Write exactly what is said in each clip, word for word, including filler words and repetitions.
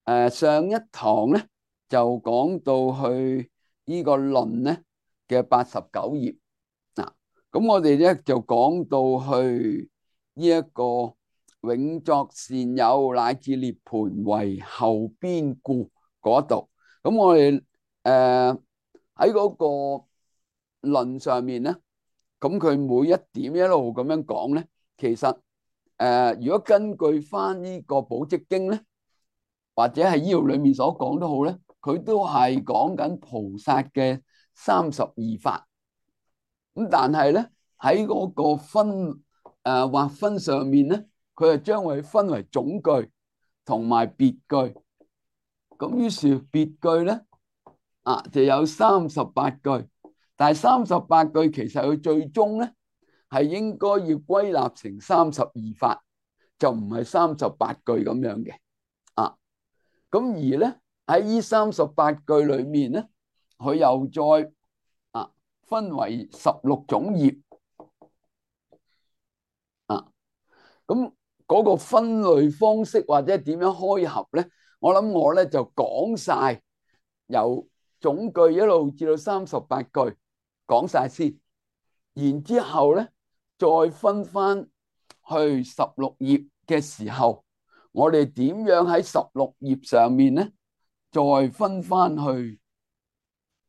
誒上一堂咧就講到去呢個論咧嘅八十九頁嗱，咁我哋咧就講到去呢一個永作善友乃至涅槃為後邊故嗰度，咁我哋誒喺嗰個論上面咧，咁佢每一點一路咁樣講咧，其實誒、呃、如果根據翻呢個寶積經咧，或者係呢度裏面所講都好咧，佢都係講緊菩薩嘅三十二法。咁但係咧喺嗰個分誒劃、呃、分上面咧，佢係將佢分為總句同埋別句。咁於是別句咧啊就有三十八句，但係三十八句其實佢最終咧係應該要歸納成三十二法，就唔係三十八句咁樣嘅啊。咁而咧喺呢三十八句裏面咧，佢又再啊分為十六種業啊。咁嗰個分類方式或者點樣開合咧，我諗我咧就講晒由總句一路至到三十八句講晒先，然之後咧再分翻去十六頁嘅時候，我哋點樣喺十六頁上面咧再分翻去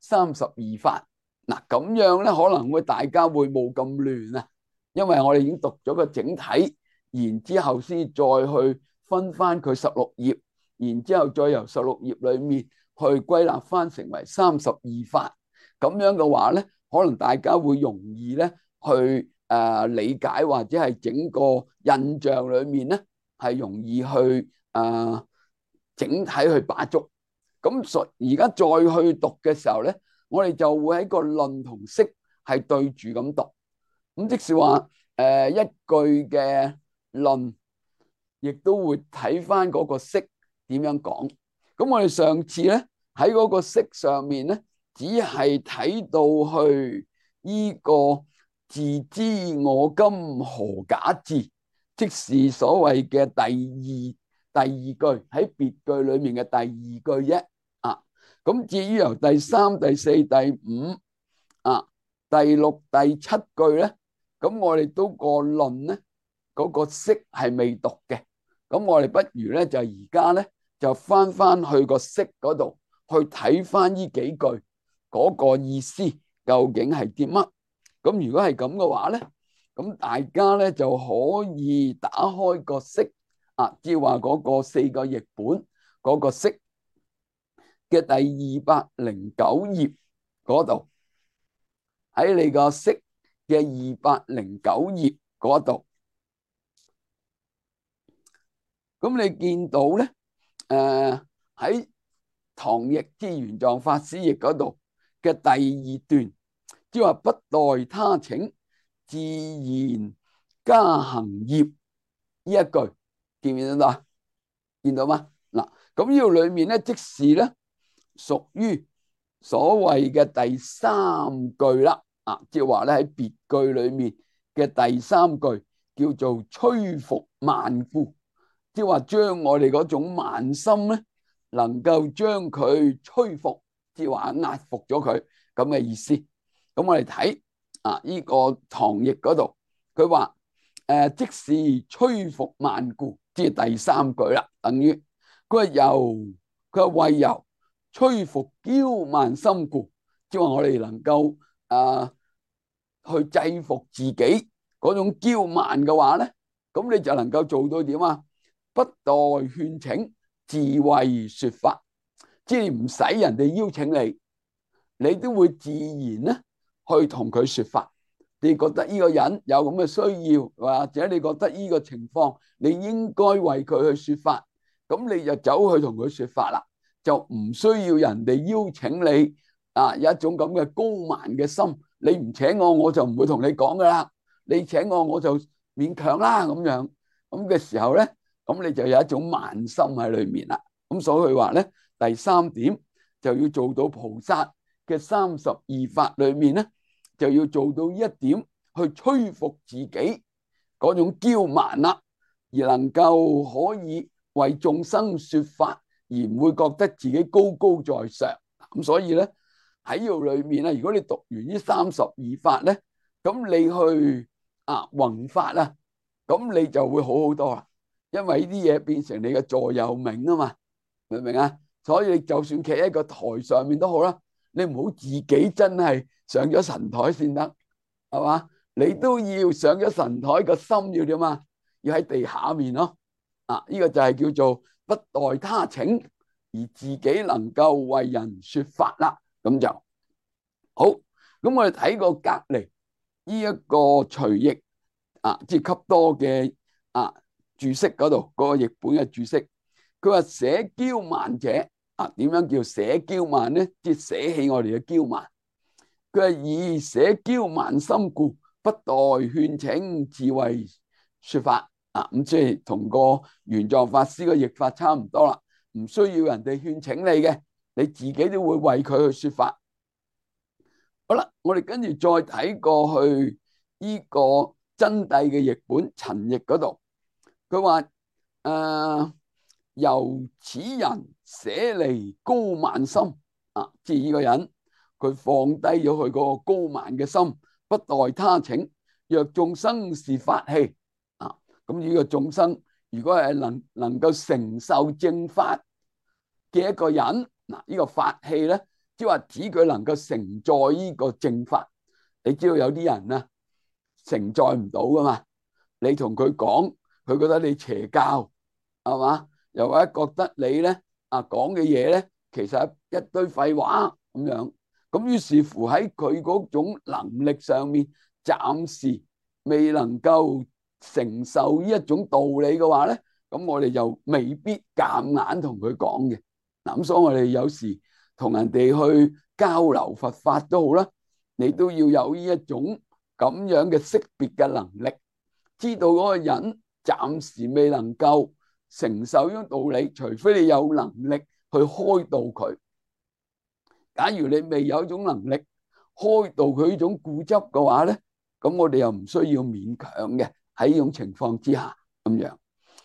三十二法嗱，咁樣咧可能會大家會冇咁亂啊，因為我哋已經讀咗個整體，然之後先再去分翻佢十六頁，然之後再由十六頁裏面去歸納翻成為三十二法，咁樣嘅話咧，可能大家會容易咧去誒、呃、理解，或者係整個印象裏面咧係容易去誒、呃、整體去把捉。咁所而家再去讀嘅時候咧，我哋就會喺個論同釋係對住咁讀。咁即是話誒、呃、一句嘅論，亦都會睇翻嗰個釋點樣講。咁我哋上次咧喺嗰個釋上面咧，只係睇到去呢個自知我今何假至，即是所謂嘅第二第二句喺別句裏面嘅第二句啫。啊，咁至於由第三、第四、第五啊、第六、第七句咧，咁我哋都個論咧嗰個釋係未讀嘅。咁我哋不如咧就而家咧就翻翻去個釋嗰度去睇翻呢幾句嗰個意思究竟係啲乜。咁如果係咁嘅話咧，咁大家咧就可以打開個釋啊，即係話嗰個四個譯本嗰個釋嘅第二百零九頁嗰度，喺你個釋嘅二百零九頁嗰度，咁你見到咧，誒喺唐譯之玄奘法師譯嗰度嘅第二段，即係話不待他請，自然加行業呢一句，見唔見到啊？見到嗎？嗱，咁呢度裏面咧，即是咧屬於所謂嘅第三句啦。啊，即係話咧喺別句裏面嘅第三句叫做摧伏慢故，即係話將我哋嗰種慢心咧，能夠將佢摧伏，即係話壓服咗佢咁嘅意思。咁我哋睇啊呢個唐譯嗰度，佢話誒即是摧伏慢故，即係第三句啦，等於佢話由佢話為由摧伏驕慢心故，即係話我哋能夠啊去制服自己嗰種驕慢嘅話咧，咁你就能夠做到點啊？不待勸請，自為說法，即係唔使人哋邀請你，你都會自然咧去同佢說法。你覺得呢個人有咁嘅需要，或者你覺得呢個情況你應該為佢去說法，咁你就走去同佢說法啦，就唔需要人哋邀請你啊！有一種咁嘅高慢嘅心，你唔請我，我就唔會同你講噶啦。你請我，我就勉強啦咁樣。咁嘅時候咧，咁你就有一種慢心喺裏面啦。咁所以佢話咧，第三點就要做到菩薩嘅三十二法裏面咧，就要做到一點去摧伏自己嗰種驕慢啦，而能夠可以為眾生說法而唔會覺得自己高高在上。咁所以咧喺呢度裏面咧，如果你讀完呢三十二法咧，咁你去啊弘法啊，咁你就會好好多啦。因為呢啲嘢變成你嘅座右銘啊嘛，明唔明啊？所以你就算企喺個台上面都好啦，你唔好自己真係上咗神台先得，係嘛？你都要上咗神台，個心要點啊？要喺地下面咯。啊，呢個就係叫做不待他請，而自己能夠為人說法啦。咁就好。咁我哋睇過隔籬呢一個隨譯啊，即係給多嘅啊注釋嗰度嗰個譯本嘅注釋，佢話捨驕慢者啊，點樣叫捨驕慢咧？即係捨棄我哋嘅驕慢。佢係以捨驕慢心故，不待勸請，自為說法啊。咁即係同個玄奘法師嘅譯法差唔多啦，唔需要人哋勸請你嘅，你自己都會為佢去說法。好啦，我哋跟住再睇過去呢個真諦嘅譯本陳譯嗰度，佢話誒由此人捨離高慢心啊，即係呢個人佢放低咗佢嗰個高慢嘅心，不待他請。若眾生是法器啊，咁呢個眾生如果係能能夠承受正法嘅一個人，嗱，呢個法器咧，即係話指佢能夠承載呢個正法。你知道有啲人啊承載唔到噶嘛？你同佢講，佢覺得你邪教係嘛？又或者覺得你咧啊講嘅嘢咧，其實一堆廢話咁樣。咁於是乎喺佢嗰種能力上面，暫時未能夠承受呢一種道理嘅話咧，咁我哋就未必夾硬同佢講嘅。嗱，咁所以我哋有時同人哋去交流佛法都好啦，你都要有呢一種咁樣嘅識別嘅能力，知道嗰個人暫時未能夠承受呢種道理，除非你有能力去開導佢。假如你未有一種能力開導佢呢種固執嘅話咧，咁我哋又唔需要勉強嘅。喺呢種情況之下咁樣，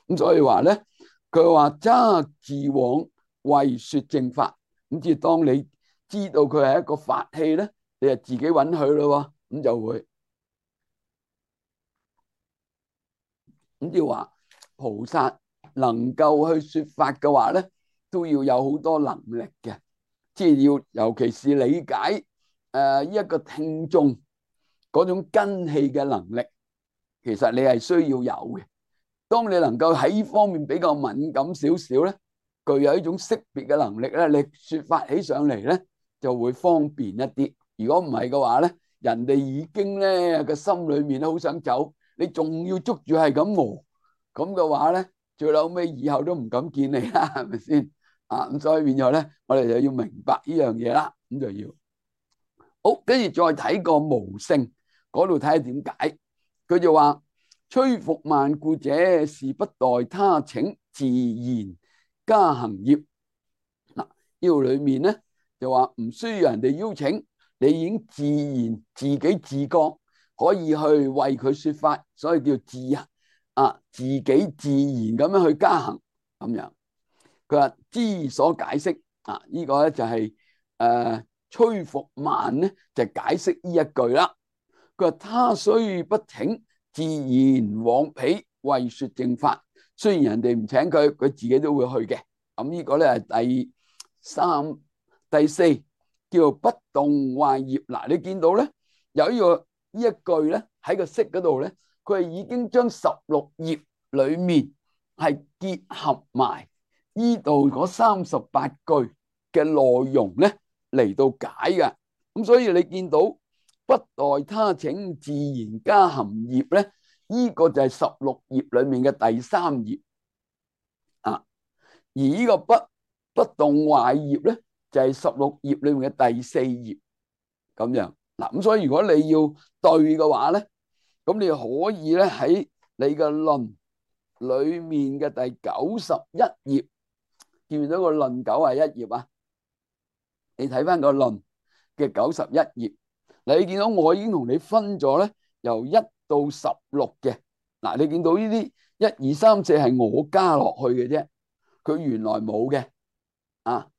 咁所以話咧，佢話揸自往為說正法，咁即係當你知道佢係一個法器咧，你就自己揾佢咯，咁就會咁即係話菩薩能夠去說法嘅話咧，都要有好多能力嘅。即係要，尤其是理解誒一個聽眾嗰種根器嘅能力，其實你係需要有嘅。當你能夠喺呢方面比較敏感少少咧，具有一種識別嘅能力咧，你說法起上嚟咧就會方便一啲。如果唔係嘅話咧，人哋已經咧個心裏面都好想走，你仲要捉住係咁餓，咁嘅話咧，最後尾以後都唔敢見你啦，係咪先？啊，咁所以變咗咧，我哋就要明白呢樣嘢啦，咁就要好。跟住再睇個無性嗰度睇下點解，佢就話摧伏慢故者，是不待他請，自然加行業。嗱，呢度裏面咧就話唔需要人哋邀請，你已經自然自己自覺可以去為佢說法，所以叫自啊自己自然咁樣去加行咁樣。佢話之所解釋啊，呢、這個咧就係誒摧伏慢咧，就解釋呢一句啦。佢話他雖不請，自然往彼為說正法。雖然人哋唔請佢，佢自己都會去嘅。咁、這、呢個咧係第三、第四叫做不動壞業。嗱，你見到咧有呢個呢一句咧喺個釋嗰度咧，佢係已經將十六業裏面係結合埋呢度嗰三十八句嘅內容咧嚟到解嘅。咁所以你見到不待他請，自然加行業咧，呢、這個就係十六業裏面嘅第三業啊。而呢個不不動壞業咧，就係十六業裏面嘅第四業咁樣嗱。咁所以如果你要對嘅話咧，咁你可以咧喺你嘅論裏面嘅第九十一頁。見唔見到個論九十一頁啊？你睇翻個論嘅九十一頁，嗱，你見到我已經同你分咗咧，由一到十六嘅。嗱，你見到呢啲一二三四係我加落去嘅啫，佢原來冇嘅。啊，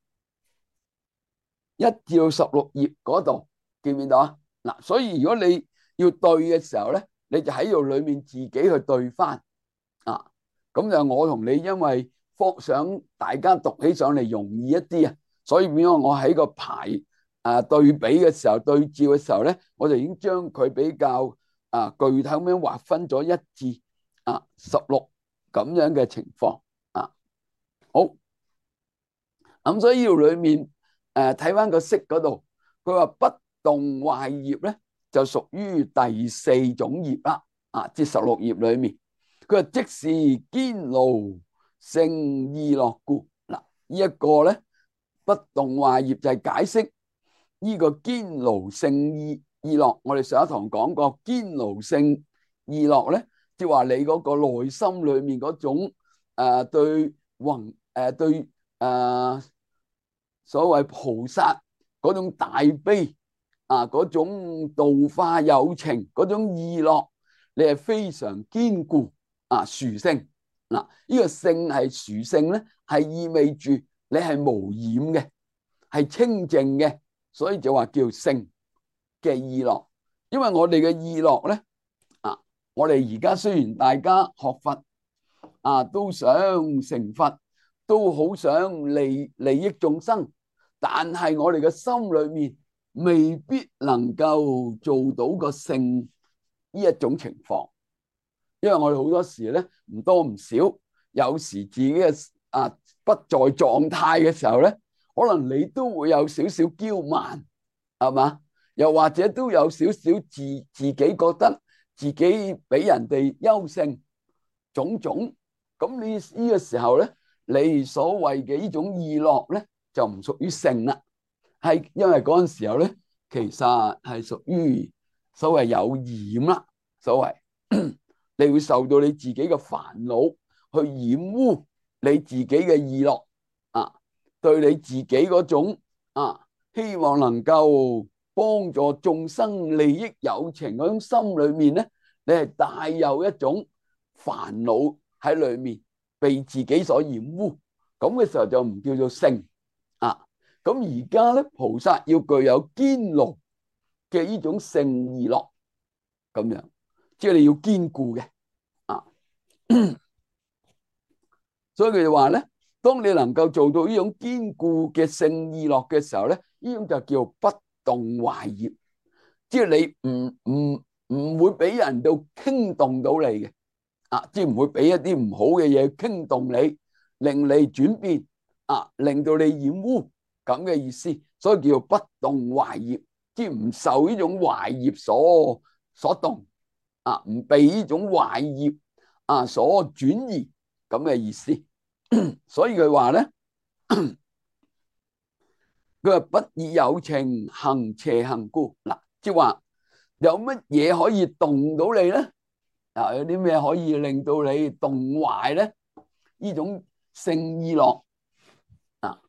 一至到十六頁嗰度見唔見到啊？嗱，所以如果你要對嘅時候咧，你就喺度裏面自己去對翻啊。咁就我同你因為方想大家讀起上嚟容易一啲啊，所以變咗我喺個排啊對比嘅時候對照嘅時候咧，我就已經將佢比較啊具體咁樣劃分咗一至啊十六咁樣嘅情況啊。好，咁所以呢度裏面誒睇翻個式嗰度，佢話不動壞業咧就屬於第四種業啦。啊，至十六頁裏面，佢話即是堅牢勝意樂故。嗱，呢一個咧不動壞業就係解釋呢個堅牢勝意意樂。我哋上一堂講過，堅牢勝意樂咧，即係話你嗰個內心裏面嗰種誒對宏誒對誒所謂菩薩嗰種大悲啊，嗰種度化有情嗰種意樂，你係非常堅固啊，殊勝。嗱，呢個勝係殊勝咧，係意味住你係無染嘅，係清淨嘅，所以就話叫勝嘅意樂。因為我哋嘅意樂咧啊，我哋而家雖然大家學佛啊，都想成佛，都好想利利益眾生，但係我哋嘅心裏面未必能夠做到個勝呢一種情況。因為我哋好多時咧唔多唔少，有時自己嘅啊不在狀態嘅時候咧，可能你都會有少少驕慢，係嘛？又或者都有少少自自己覺得自己比人哋優勝，種種。咁你呢個時候咧，你所謂嘅呢種意樂咧，就唔屬於勝啦，係因為嗰陣時候咧，其實係屬於所謂有染啦，所謂。你會受到你自己嘅煩惱去染污你自己嘅意樂啊，對你自己嗰種啊希望能夠幫助眾生利益有情嗰種心裏面咧，你係帶有一種煩惱喺裏面，被自己所染污，咁嘅時候就唔叫做勝啊。咁而家咧，菩薩要具有堅牢嘅呢種勝意樂，咁樣。即係你要堅固嘅啊，所以佢就話咧，當你能夠做到呢種堅固嘅勝意樂嘅時候咧，呢種就叫不動壞業，即係你唔唔唔會俾人到傾動到你嘅啊，即係唔會俾一啲唔好嘅嘢傾動你，令你轉變啊，令到你染污咁嘅意思，所以叫不動壞業，即係唔受呢種壞業所所動。啊，唔被呢種壞業啊所轉移咁嘅意思，所以佢話咧，佢話不以有情行邪行故。嗱，即係話有乜嘢可以動到你咧？啊，有啲咩可以令到你動壞咧？呢種勝意樂啊，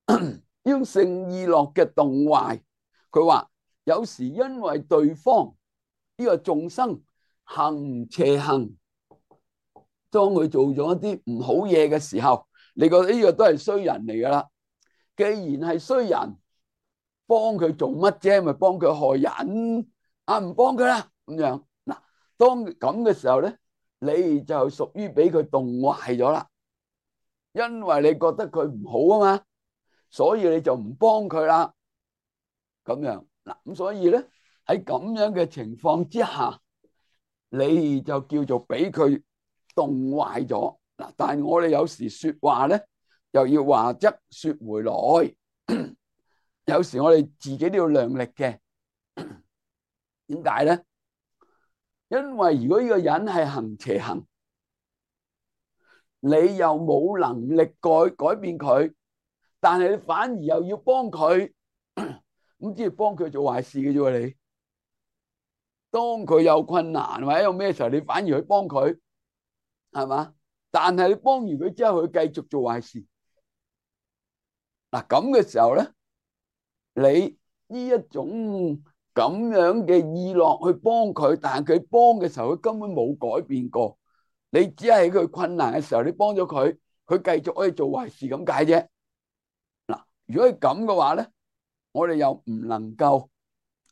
呢種勝意樂嘅動壞，佢話有時因為對方呢個眾生行邪行，當佢做咗一啲唔好嘢嘅時候，你覺得呢個都係衰人嚟噶啦。既然係衰人，幫佢做乜啫？咪幫佢害人啊？唔幫佢啦咁樣。嗱，當咁嘅時候咧，你就屬於俾佢動壞咗啦。因為你覺得佢唔好啊嘛，所以你就唔幫佢啦。咁樣嗱，咁所以咧喺咁樣嘅情況之下，你就叫做俾佢動壞咗嗱。但係我哋有時說話咧，又要話則說回來，有時我哋自己都要量力嘅。點解咧？因為如果呢個人係行邪行，你又冇能力改改變佢，但係你反而又要幫佢，咁即係幫佢做壞事嘅啫。你當佢有困難或者有咩時候，你反而去幫佢，係嘛？但係你幫完佢之後，佢繼續做壞事。嗱，咁嘅時候咧，你呢一種咁樣嘅意樂去幫佢，但係佢幫嘅時候，佢根本冇改變過。你只係喺佢困難嘅時候，你幫咗佢，佢繼續可以做壞事咁解啫。嗱，如果係咁嘅話咧，我哋又唔能夠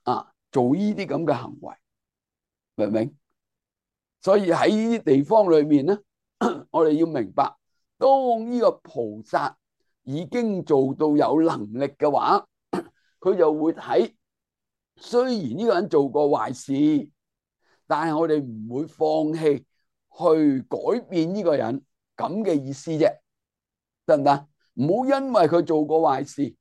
啊做呢啲咁嘅行為，明唔明？所以喺呢啲地方裏面咧，我哋要明白，當呢個菩薩已經做到有能力嘅話，佢就會睇，雖然呢個人做過壞事，但係我哋唔會放棄去改變呢個人咁嘅意思啫，得唔得？唔好因為佢做過壞事，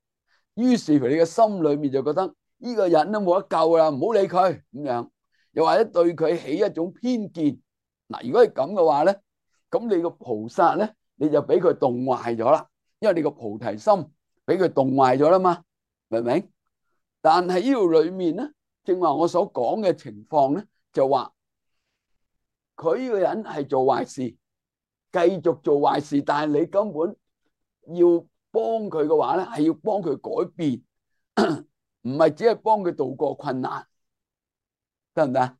於是乎你嘅心裏面就覺得呢個人都冇得救啦，唔好理佢咁樣，又或者對佢起一種偏見。嗱，如果係咁嘅話咧，咁你個菩薩咧，你就俾佢動壞咗啦，因為你個菩提心俾佢動壞咗啦嘛，明唔明？但係呢度裏面咧，正話我所講嘅情況咧，就話佢呢個人係做壞事，繼續做壞事，但係你根本要幫佢嘅話咧，係要幫佢改變，唔係只係幫佢度過困難，得唔得？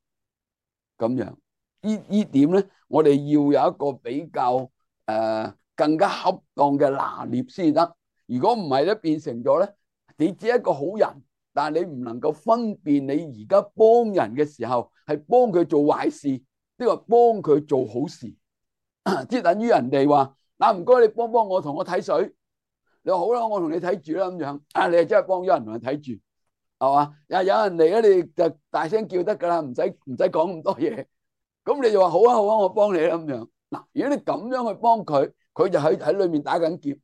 咁樣呢呢點咧，我哋要有一個比較誒、呃、更加恰當嘅拿捏先得。如果唔係咧，變成咗咧，你只係一個好人，但係你唔能夠分辨你而家幫人嘅時候係幫佢做壞事，即係話幫佢做好事，即係等於人哋話嗱，唔該你幫幫我同我睇水，你話好啦，我同你睇住啦咁樣，啊你係真係幫咗人同人睇住，係嘛？又有人嚟咧，你就大聲叫得噶啦，唔使唔使講咁多嘢，咁你就話好啊好啊，我幫你啦咁樣。嗱，如果你咁樣去幫佢，佢就喺喺裏面打緊劫，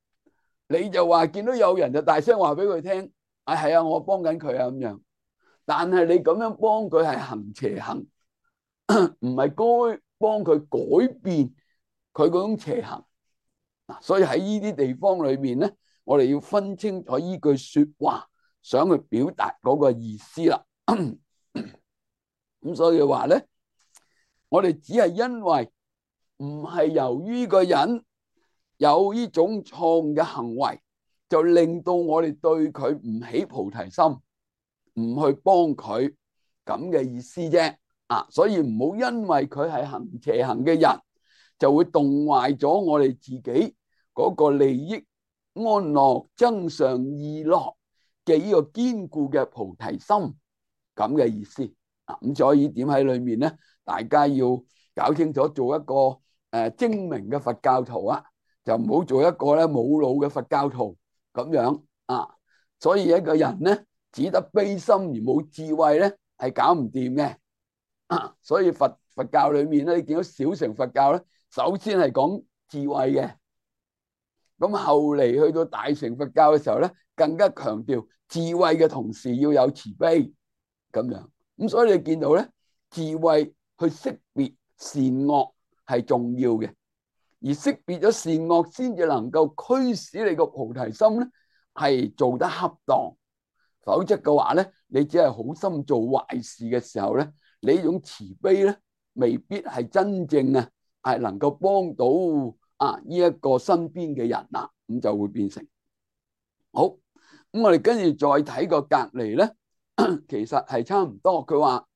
你就話見到有人就大聲話俾佢聽，啊係啊，我幫緊佢啊咁樣。但係你咁樣幫佢係行邪行，唔係該幫佢改變佢嗰種邪行。嗱，所以喺呢啲地方裏面咧，我哋要分清楚依句說話想去表達嗰個意思啦。咁所以話咧，我哋只係因為唔係由於個人有呢種錯誤嘅行為，就令到我哋對佢唔起菩提心，唔去幫佢咁嘅意思啫。啊，所以唔好因為佢係行邪行嘅人，就會動壞咗我哋自己嗰個利益安樂增上意樂嘅呢個堅固嘅菩提心咁嘅意思。啊，咁所以點喺裏面咧，大家要搞清楚，做一個誒、呃、精明嘅佛教徒啊，就唔好做一個咧冇腦嘅佛教徒咁樣啊。所以一個人咧，只得悲心而冇智慧咧，係搞唔掂嘅。啊，所以佛佛教裏面咧，你見到小乘佛教咧，首先係講智慧嘅，咁後嚟去到大乘佛教嘅時候咧，更加強調智慧嘅同時要有慈悲咁樣。咁所以你見到咧，智慧去識別善惡係重要嘅，而識別咗善惡先至能夠驅使你個菩提心咧係做得恰當。否則嘅話咧，你只係好心做壞事嘅時候咧，你呢種慈悲咧未必係真正啊係能夠幫到啊呢一個身邊嘅人啦，咁就會變成好。咁我哋跟住再睇個隔離咧，其實係差唔多。佢話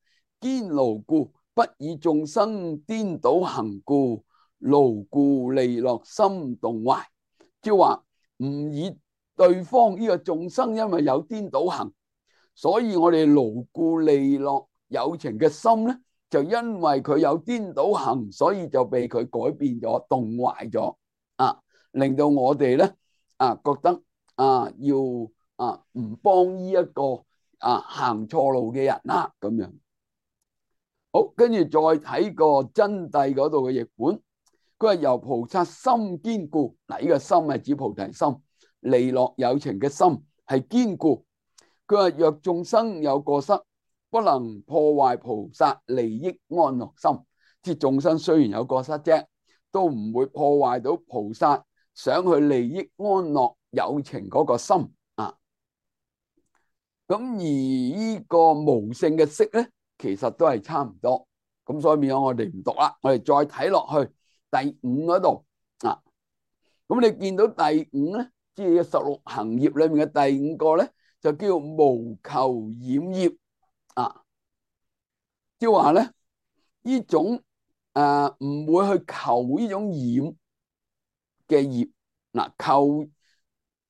堅牢故不以眾生顛倒行故，牢故利樂心動壞，即係話唔以對方呢個眾生因為有顛倒行，所以我哋牢固利樂有情嘅心咧，就因為佢有顛倒行，所以就被佢改變咗、動壞咗啊，令到我哋咧啊覺得啊要啊唔幫呢一個啊行錯路嘅人啦咁樣。好，跟住再睇個真諦嗰度嘅譯本，佢話由菩薩心堅固，嗱呢個心係指菩提心，利樂有情嘅心係堅固。佢話若眾生有過失，不能破壞菩薩利益安樂心，即係眾生雖然有過失啫，都唔會破壞到菩薩想去利益安樂有情嗰個心啊。咁而呢個無性嘅色咧，其實都係差唔多。咁所以變咗我哋唔讀啦，我哋再睇落去第五嗰度啊。咁你見到第五咧，即係十六行業裏面嘅第五個咧，就叫無求染業啊。即係話咧，呢種誒唔會去求呢種染嘅業。嗱，球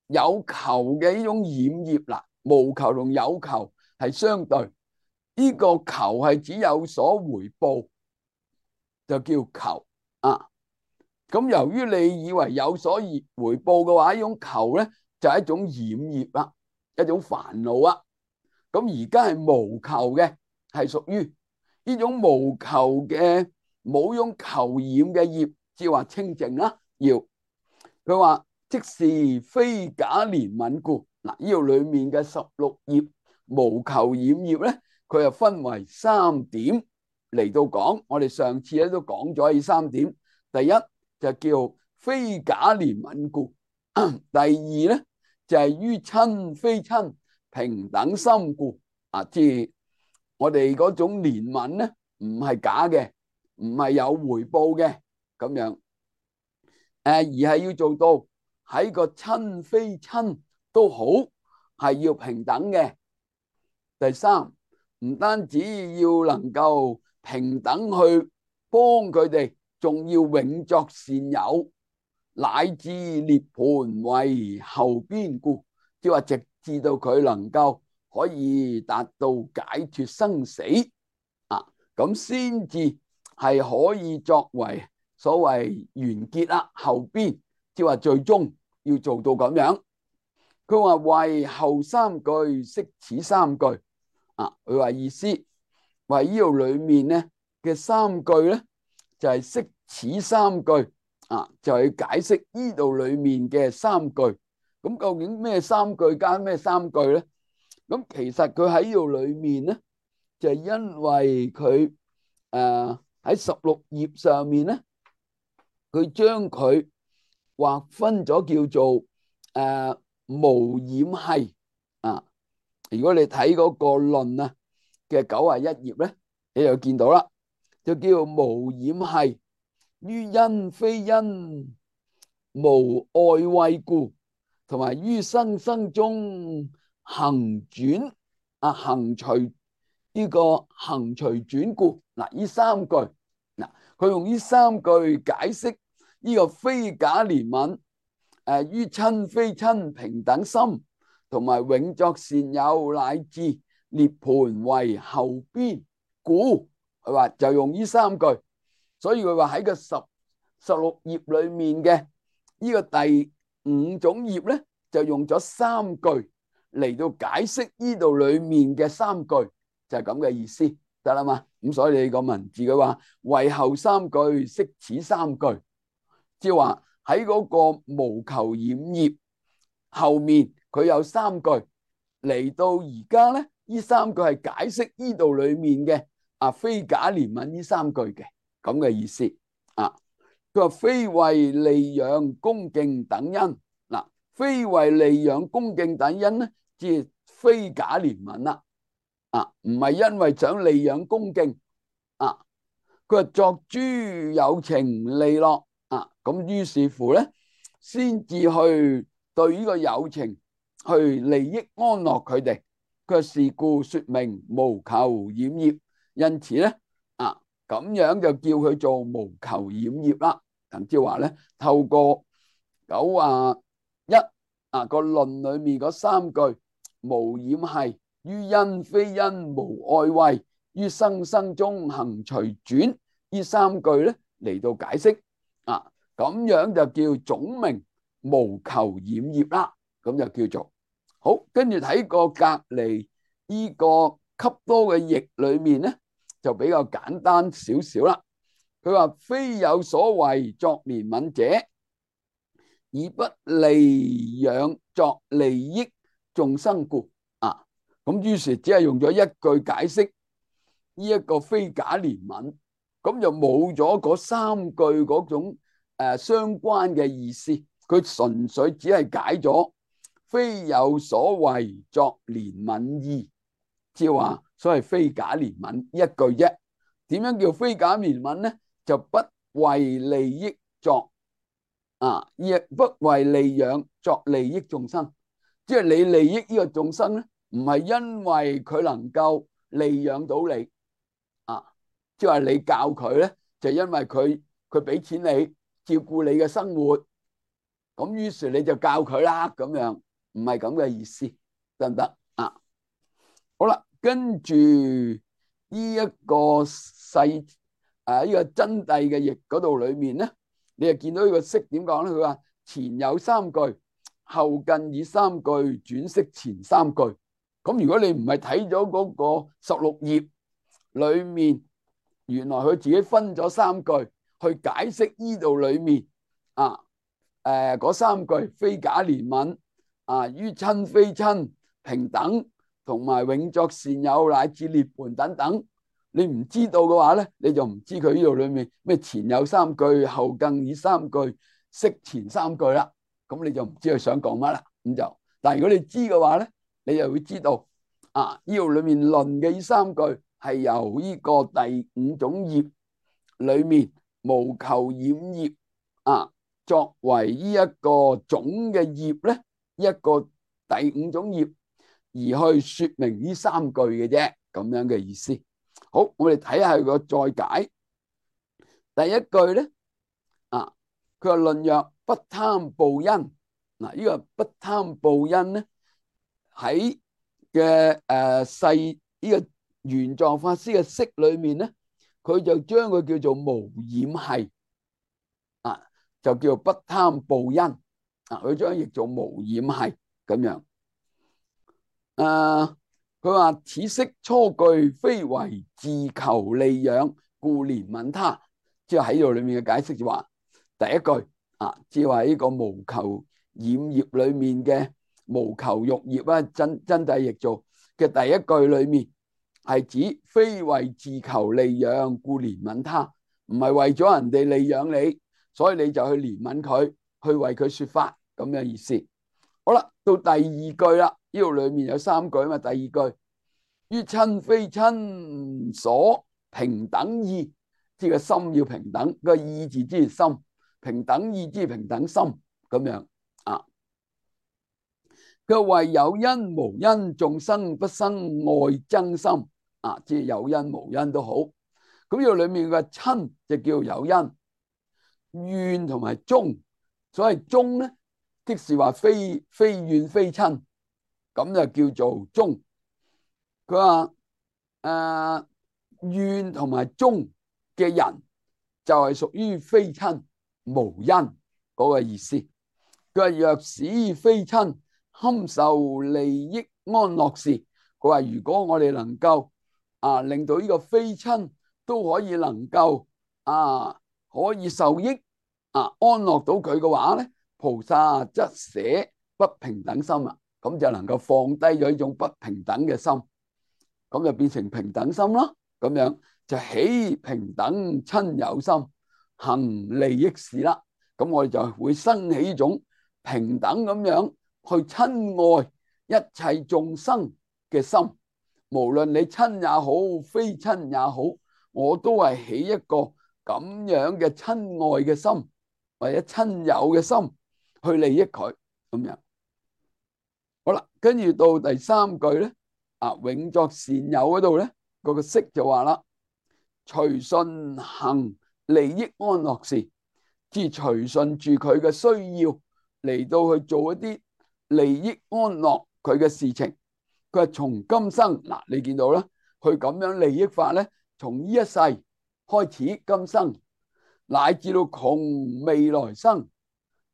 有球嘅呢種染業，嗱，無球同有球係相對，呢個球係指有所回報，就叫球啊。咁由於你以為有所回報嘅話，呢種球咧就係一種染業啦，一種煩惱啊。咁而家係無球嘅，係屬於呢種無球嘅冇種球染嘅業，即係話清淨啦。要佢話即是非假憐憫故。嗱，呢度裏面嘅十六業無球染業咧，佢又分為三點嚟到講。我哋上次咧都講咗呢三點。第一就叫非假憐憫故，第二咧就係於親非親平等心故。啊，即係我哋嗰種憐憫咧，唔係假嘅，唔係有回報嘅咁樣，誒，而係要做到喺個親非親都好，係要平等嘅。第三，唔單止要能夠平等去幫佢哋，仲要永作善友，乃至涅槃為後邊故，即係話直至到佢能夠可以達到解脫生死啊，咁先至係可以作為所謂完結啦。後邊即係話最終要做到咁樣。佢話為後三句釋此三句啊，佢話意思為呢度裏面咧嘅三句咧就係釋此三句啊，就係解釋呢度裏面嘅三句。咁究竟咩三句加咩三句咧？咁其實佢喺呢度裏面咧，就係因為佢誒喺十六頁上面咧，佢將佢劃分咗叫做誒無染系啊。如果你睇嗰個論啊嘅九十一頁咧，你就見到啦，就叫做無染系於因非因無愛畏故，同埋於生生中行轉啊行隨呢個行隨轉故。嗱，呢三句嗱，佢用呢三句解釋呢個非假憐憫，誒於親非親平等心，同埋永作善友乃至涅槃為後邊故。佢話就用呢三句，所以佢話喺個十十六頁裏面嘅呢個第五種業咧，就用咗三句嚟到解釋呢度裏面嘅三句，就係咁嘅意思，得啦嘛。咁所以你個文字佢話為後三句釋此三句，即係話喺嗰個無求染業後面佢有三句嚟到而家咧，呢三句係解釋呢度裏面嘅啊非假憐憫呢三句嘅咁嘅意思啊。佢話非為利養恭敬等因，嗱，非為利養恭敬等因咧，即係非假憐憫啦，啊，唔係因為想利養恭敬啊。佢話作諸有情利樂啊，咁於是乎咧，先至去對呢個有情去利益安樂佢哋。佢話是故說明無求染業，因此咧啊，咁樣就叫佢做無求染業啦。咁即係話咧，透過九啊一啊個論裏面嗰三句無染係於因非因無愛畏於生生中行隨轉呢三句咧嚟到解釋啊，咁樣就叫總名無求染業啦。咁就叫做好。跟住睇個隔離呢個給多嘅譯裏面咧，就比較簡單少少啦。佢話非有所為作憐憫者，以不利養作利益眾生故啊。咁於是只係用咗一句解釋呢一個非假憐憫，咁就冇咗嗰三句嗰種誒相關嘅意思。佢純粹只係解咗非有所為作憐憫意，即係話所謂非假憐憫一句啫。點樣叫非假憐憫咧？就不為利益作啊，亦不為利養作利益眾生。即係你利益呢個眾生咧，唔係因為佢能夠利養到你啊，即係話你教佢咧，就因為佢佢俾錢你照顧你嘅生活咁於是你就教佢啦，咁樣唔係咁嘅意思，得唔得啊？好啦，跟住呢一個細誒呢個真諦嘅譯嗰度裏面咧，你就見到呢個釋點講咧？佢話前有三句，後近以三句轉釋前三句。咁如果你唔係睇咗嗰個十六頁裏面，原來佢自己分咗三句去解釋呢度裏面啊誒嗰三句非假憐憫啊於親非親平等同埋永作善友乃至涅槃等等，你唔知道嘅話咧，你就唔知佢呢度裏面咩前有三句，後近以三句，釋前三句啦。咁你就唔知佢想講乜啦。咁就，但係如果你知嘅話咧，你就會知道啊，呢度裏面論嘅呢三句係由呢個第五種業裏面無求染業啊，作為呢一個總嘅業咧，一個第五種業而去說明呢三句嘅啫，咁樣嘅意思。好，我哋睇下佢個再解。第一句咧啊，佢話論曰不貪報恩。嗱，呢個不貪報恩咧喺嘅誒細呢個玄奘法師嘅釋裏面咧，佢就將佢叫做無染系啊，就叫做不貪報恩啊，佢將譯做無染系咁樣。誒，佢話此釋初句非為自求利養，故憐憫他。即係喺度裏面嘅解釋就話，第一句啊，即係話呢個無求染業裏面嘅無求欲業啊，真真諦譯做嘅第一句裏面係指非為自求利養，故憐憫他，唔係為咗人哋利養你，所以你就去憐憫佢，去為佢說法咁嘅意思。好啦，到第二句啦，呢度裏面有三句啊嘛。第二句於親非親所平等意，即係個心要平等，個意字之心，平等意之平等心咁樣啊。佢為有因無因，眾生不生愛憎心啊，即係有因無因都好。咁呢度裏面嘅親就叫有因，怨同埋忠，所謂忠咧，即是話非非怨非親，咁就叫做忠。佢話誒怨同埋忠嘅人就係屬於非親無因嗰個意思。佢話若使非親堪受利益安樂事，佢話如果我哋能夠啊令到呢個非親都可以能夠啊可以受益啊安樂到佢嘅話咧，菩薩則捨不平等心啊，咁就能夠放低咗呢種不平等嘅心，咁就變成平等心咯。咁樣就起平等親友心，行利益事啦。咁我哋就會生起呢種平等咁樣去親愛一切眾生嘅心，無論你親也好，非親也好，我都係起一個咁樣嘅親愛嘅心，或者親友嘅心去利益佢咁樣。好啦，跟住到第三句咧，啊永作善友嗰度咧，嗰個釋就話啦，隨順行利益安樂事，即係隨順住佢嘅需要嚟到去做一啲利益安樂佢嘅事情。佢係從今生嗱，你見到啦，佢咁樣利益法咧，從呢一世開始，今生乃至到窮未來生，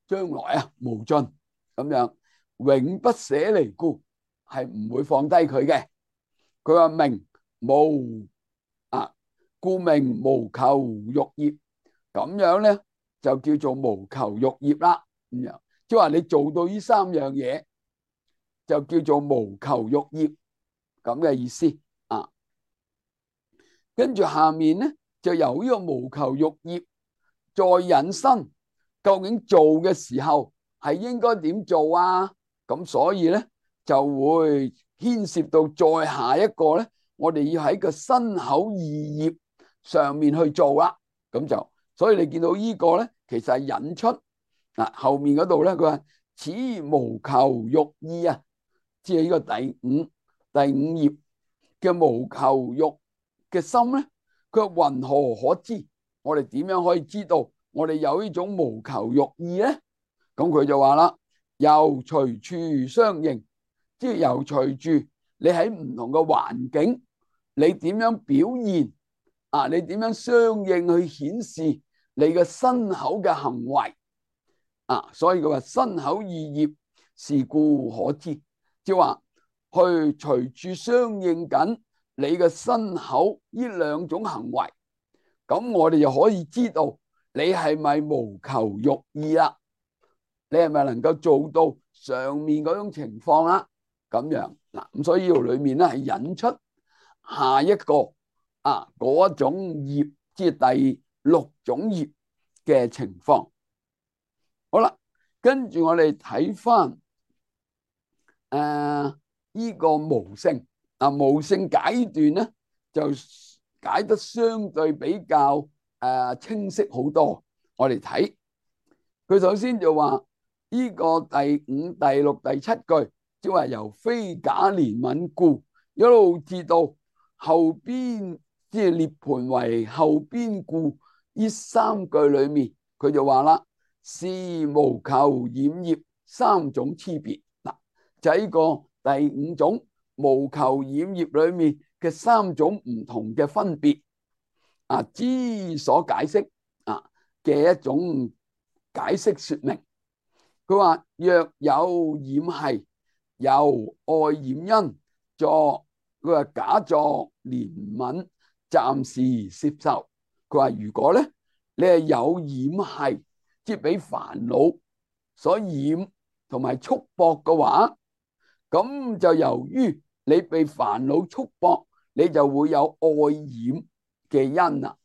將來啊無盡咁樣，永不捨離故，係唔會放低佢嘅。佢話名無啊，故名無求欲業，咁樣咧就叫做無求欲業啦。咁樣即係話你做到呢三樣嘢，就叫做無求欲業咁嘅意思啊。跟住下面咧就由呢個無求欲業再引申，究竟做嘅時候係應該點做啊？咁所以咧就會牽涉到再下一個咧，我哋要喺個身口意業上面去做啦。咁就所以你見到呢個咧，其實係引出嗱後面嗰度咧，佢話此無求欲意啊，即係呢個第五第五頁嘅無求欲嘅心咧，佢話云何可知？我哋點樣可以知道我哋有呢種無求欲意咧？咁佢就話啦，由隨處相應，即係由隨住你喺唔同嘅環境，你點樣表現啊？你點樣相應去顯示你嘅身口嘅行為啊？所以佢話身口意業，是故可知，即係話去隨處相應緊你嘅身口呢兩種行為，咁我哋就可以知道你係咪無求欲意啦？你係咪能夠做到上面嗰種情況啦？咁樣嗱，咁所以呢度裏面咧係引出下一個啊嗰種業，即係第六種業嘅情況。好啦，跟住我哋睇翻誒呢個無性啊，無性解斷咧就解得相對比較誒、呃、清晰好多。我哋睇佢首先就話呢個第五、第六、第七句，即係話由非假憐憫故一路至到後邊，即係涅槃為後邊故，呢三句裏面佢就話啦，是無求染業三種差別。嗱，就係呢個第五種無求染業裏面嘅三種唔同嘅分別啊，之所解釋啊嘅一種解釋說明。佢話若有染系，由愛染因作，佢話假作憐憫，暫時攝受。佢話如果咧你係有染系，即係俾煩惱所染同埋束縛嘅話，咁就由於你被煩惱束縛，你就會有愛染嘅因啊，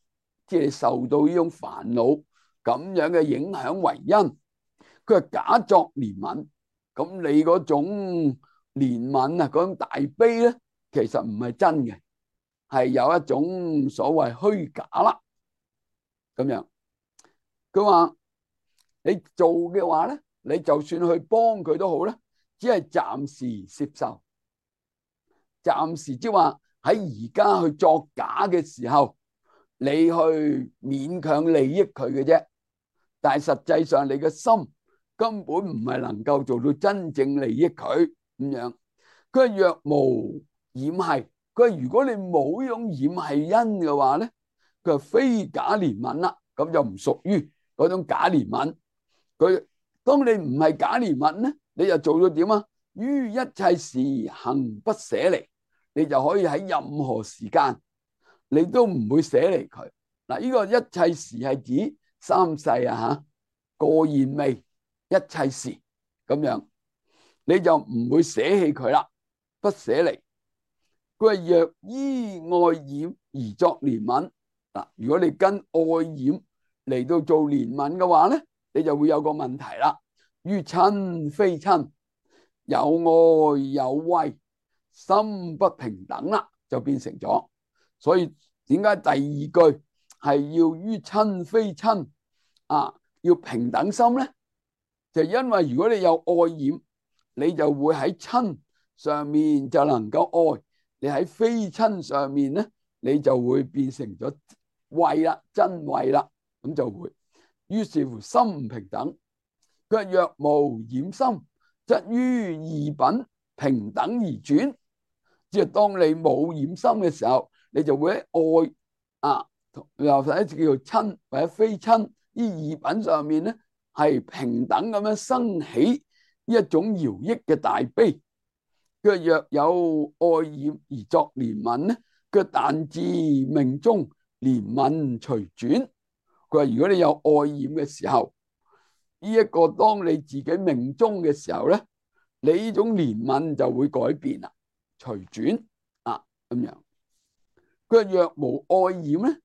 即係受到呢種煩惱咁樣嘅影響為因。佢係假作憐憫，咁你嗰種憐憫啊，嗰種大悲咧，其實唔係真嘅，係有一種所謂虛假啦。咁樣，佢話你做嘅話咧，你就算去幫佢都好咧，只係暫時攝受，暫時即係話喺而家去作假嘅時候，你去勉強利益佢嘅啫，但係實際上你嘅心根本唔係能夠做到真正利益佢咁樣。佢係若無染系，佢係如果你冇呢種染系因嘅話咧，佢係非假憐憫啦，咁就唔屬於嗰種假憐憫。佢當你唔係假憐憫咧，你就做到點啊？於一切時行不捨離，你就可以喺任何時間你都唔會捨離佢。嗱，呢個一切時係指三世啊吓，過現未一切時咁樣，你就唔會捨棄佢啦，不捨離。佢係若依愛染而作憐憫，嗱，如果你跟愛染嚟到做憐憫嘅話咧，你就會有個問題啦。於親非親，有愛有畏，心不平等啦，就變成咗。所以點解第二句係要於親非親啊？要平等心咧，就因為如果你有愛染，你就會喺親上面就能夠愛；你喺非親上面咧，你就會變成咗畏啦，真畏啦，咁就會。於是乎心唔平等。佢若無染心，則於二品平等而轉。即係當你冇染心嘅時候，你就會喺愛啊，又或者叫做親或者非親呢二品上面咧，係平等咁樣生起一種饒益嘅大悲。佢若有愛染而作憐憫咧，佢但至命中憐憫隨轉。佢話如果你有愛染嘅時候，呢一個當你自己命中嘅時候咧，你呢種憐憫就會改變啦，隨轉啊咁樣。佢話若無愛染咧，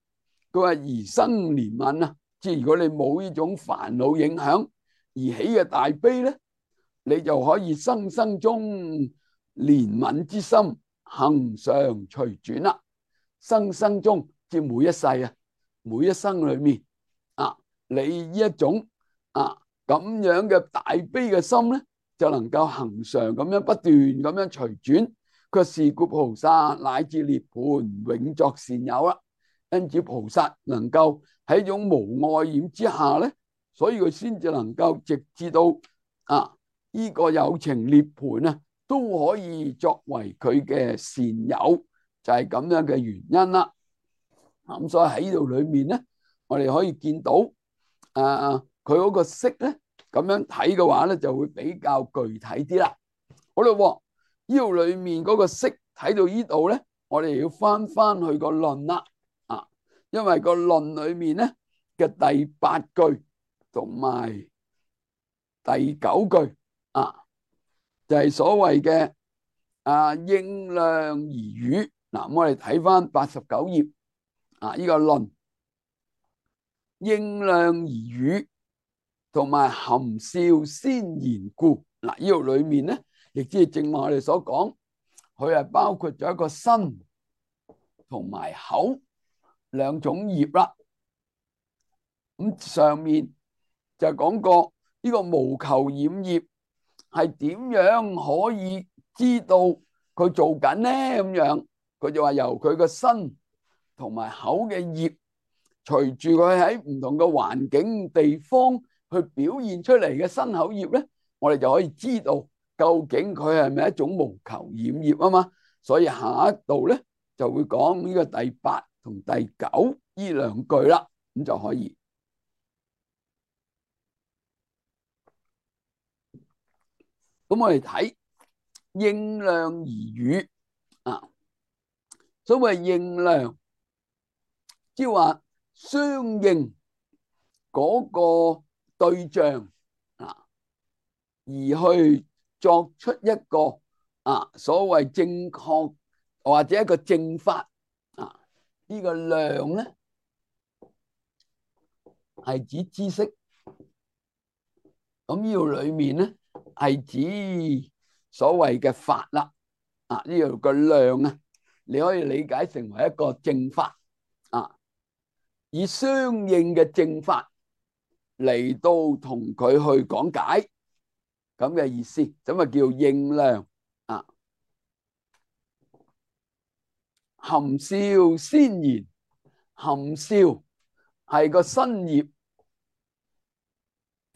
佢話而生憐憫啊，即係如果你冇呢種煩惱影響而起嘅大悲咧，你就可以生生中憐憫之心恆常隨轉啦。生生中即係每一世啊，每一生裏面啊，你呢一種啊咁樣嘅大悲嘅心咧，就能夠恆常咁樣不斷咁樣隨轉。佢是故菩薩乃至涅槃永作善友啦。因此菩薩能夠喺一種無愛染之下咧，所以佢先至能夠直至到啊呢個有情涅槃啊，都可以作為佢嘅善友，就係咁樣嘅原因啦。咁所以喺呢度裏面咧，我哋可以見到誒佢嗰個色咧，咁樣睇嘅話咧，就會比較具體啲啦。好啦，呢度裏面嗰個色睇到呢度咧，我哋要翻翻去個論啦。啊，因為個論裏面咧嘅第八句同埋第九句啊，就係所謂嘅啊應量而語。嗱，我哋睇翻八十九頁啊，呢個論應量而語同埋含笑先言故。嗱，呢度裏面咧，亦即係正話我哋所講，佢係包括咗一個身同埋口兩種業啦。咁上面就講過呢個無求染業係點樣可以知道佢做緊呢？咁樣佢就話由佢個身同埋口嘅業，隨住佢喺唔同嘅環境地方去表現出嚟嘅身口業咧，我哋就可以知道究竟佢係咪一種無求染業啊嘛。所以下一度咧就會講呢個第八同第九呢兩句啦，咁就可以。咁我哋睇應量而語啊，所謂應量，即係話相應嗰個對象啊，而去作出一個啊所謂正確或者一個正法啊，呢個量咧係指知識。咁呢度裏面咧係指所謂嘅法啦，啊呢度個量啊，你可以理解成為一個正法啊，以相應嘅正法嚟到同佢去講解，咁嘅意思，咁啊叫應量啊。含笑先言，含笑係個身業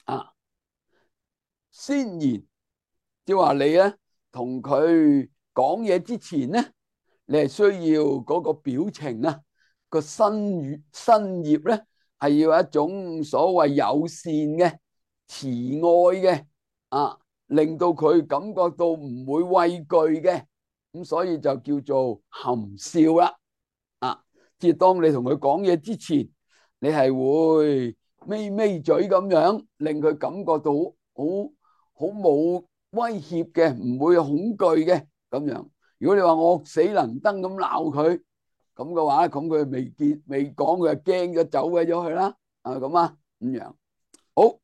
啊。先言，即係話你咧同佢講嘢之前咧，你係需要嗰個表情啊，個身語身業咧係要一種所謂友善嘅、慈愛嘅啊，令到佢感覺到唔會畏懼嘅，咁所以就叫做含笑啦。啊，即係當你同佢講嘢之前，你係會咪咪嘴咁樣，令佢感覺到好好冇威脅嘅，唔會恐懼嘅咁樣。如果你話惡死能登咁鬧佢咁嘅話，咁佢未見未講，佢就驚咗走鬼咗去啦。啊咁啊咁樣。好，咁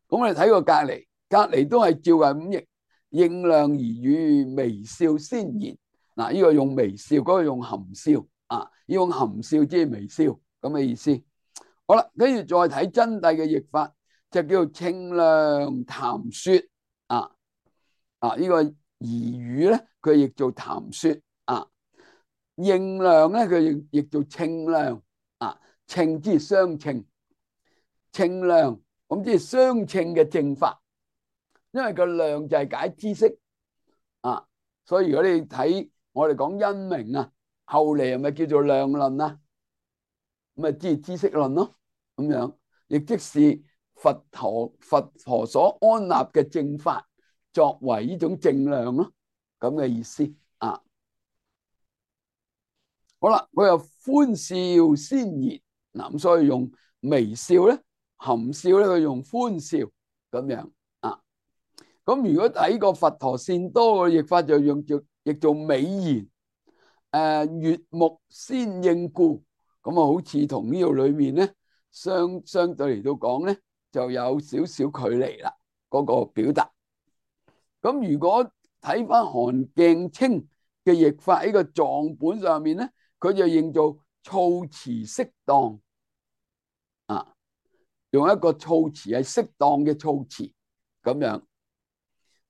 我哋睇個隔籬，隔籬都係照係五譯，應量而語，微笑先言。嗱，呢個用微笑，嗰個用含笑啊，呢種含笑即係微笑咁嘅意思。好啦，跟住再睇真諦嘅譯法，就叫稱量談說啊啊！呢個而語咧，佢譯做談說啊；應量咧，佢譯譯做稱量啊。稱即係相稱，稱量咁即係相稱嘅正法，因為個量就係解知識啊。所以如果你睇我哋講因明啊，後嚟係咪叫做量論啊？咁啊，即係知識論咯。咁樣亦即是佛陀佛陀所安立嘅正法，作為呢種正量咯，咁嘅意思啊。好啦，佢又歡笑先言，嗱咁所以用微笑咧，含笑咧，佢用歡笑咁樣啊。咁如果睇個佛陀善多嘅譯法，就用做譯做美言，誒悅目先應故，咁啊好似同呢度裏面咧相相對嚟到講咧，就有少少距離啦，嗰個表達。咁如果睇翻韓鏡清嘅譯法喺個藏本上面咧，佢就認做措辭適當啊，用一個措辭係適當嘅措辭咁樣。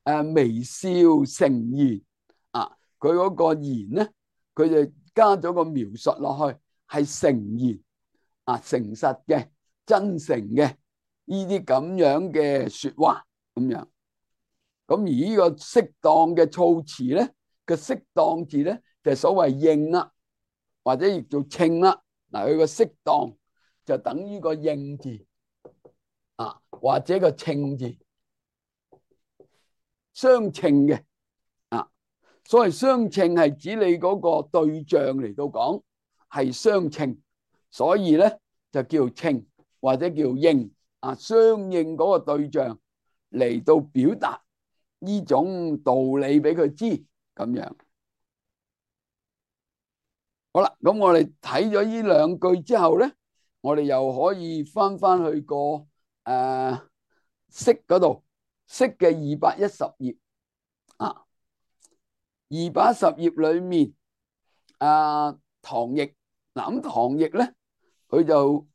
誒微笑誠言啊，佢嗰個言咧，佢就加咗個描述落去，係誠言啊，誠實嘅、真誠嘅呢呢啲咁樣嘅說話咁樣。咁而呢個適當嘅措辭咧，個適當字咧就係所謂應啦，或者亦做稱啦。嗱，佢個適當就等於個應字啊，或者個稱字相稱嘅啊。所謂相稱係指你嗰個對象嚟到講係相稱，所以咧就叫稱或者叫應啊，相應嗰個對象嚟到表達呢種道理俾佢知咁樣。好啦，咁我哋睇咗呢兩句之後咧，我哋又可以翻翻去個誒釋嗰度，釋嘅二百一十頁啊，二百一十頁裏面啊，唐譯嗱，咁唐譯咧佢就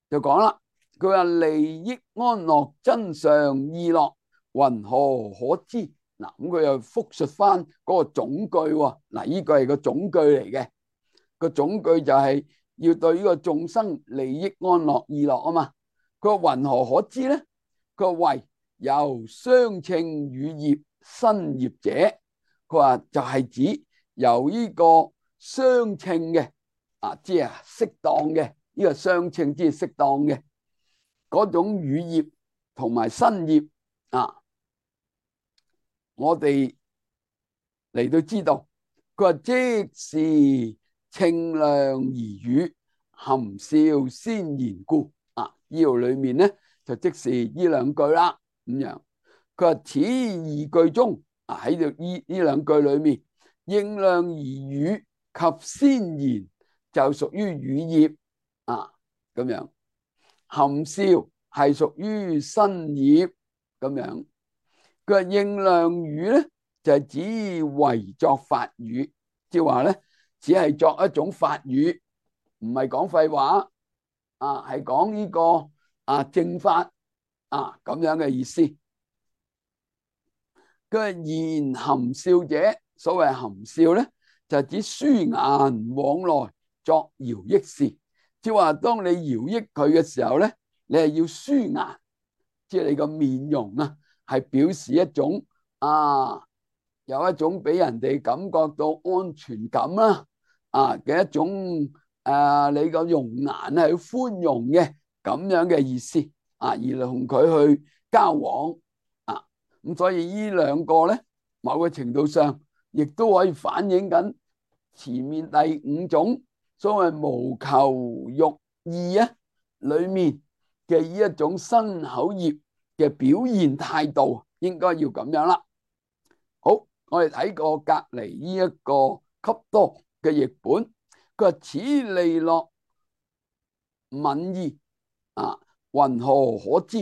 就講啦，佢話利益安樂真相意樂云何可知？嗱，咁佢又複述翻嗰個總句喎。嗱，呢個係個總句嚟嘅，個總句就係要對呢個眾生利益安樂意樂啊嘛。佢話云何可知咧？佢話為由相稱語業身業者，佢話就係指由呢個相稱嘅啊，即係適當嘅呢個相稱，即係適當嘅嗰種語業同埋身業啊。我哋嚟到知道，佢話即是稱量而語，含笑先言故啊。呢度裏面咧就即是呢兩句啦咁樣。佢話此二句中啊，喺度呢呢兩句裏面，應量而語及先言就屬於語業啊咁樣，含笑係屬於身業咁樣。佢話應量語咧就係指為作法語，即係話咧只係作一種法語，唔係講廢話啊，係講呢個啊正法啊咁樣嘅意思。佢話言含笑者，所謂含笑咧就係指舒顏往來作饒益事，即係話當你饒益佢嘅時候咧，你係要舒顏，即係你個面容啊，係表示一種啊，有一種俾人哋感覺到安全感啦，啊嘅一種誒、啊，你個容顏係寬容嘅咁樣嘅意思啊，而同佢去交往啊，咁所以呢兩個咧，某個程度上亦都可以反映緊前面第五種所謂無求欲意啊裏面嘅呢一種身口業嘅表現態度，應該要咁樣啦。好，我哋睇過隔籬呢一個笈多嘅譯本，佢話此利樂憫意啊，云何可知？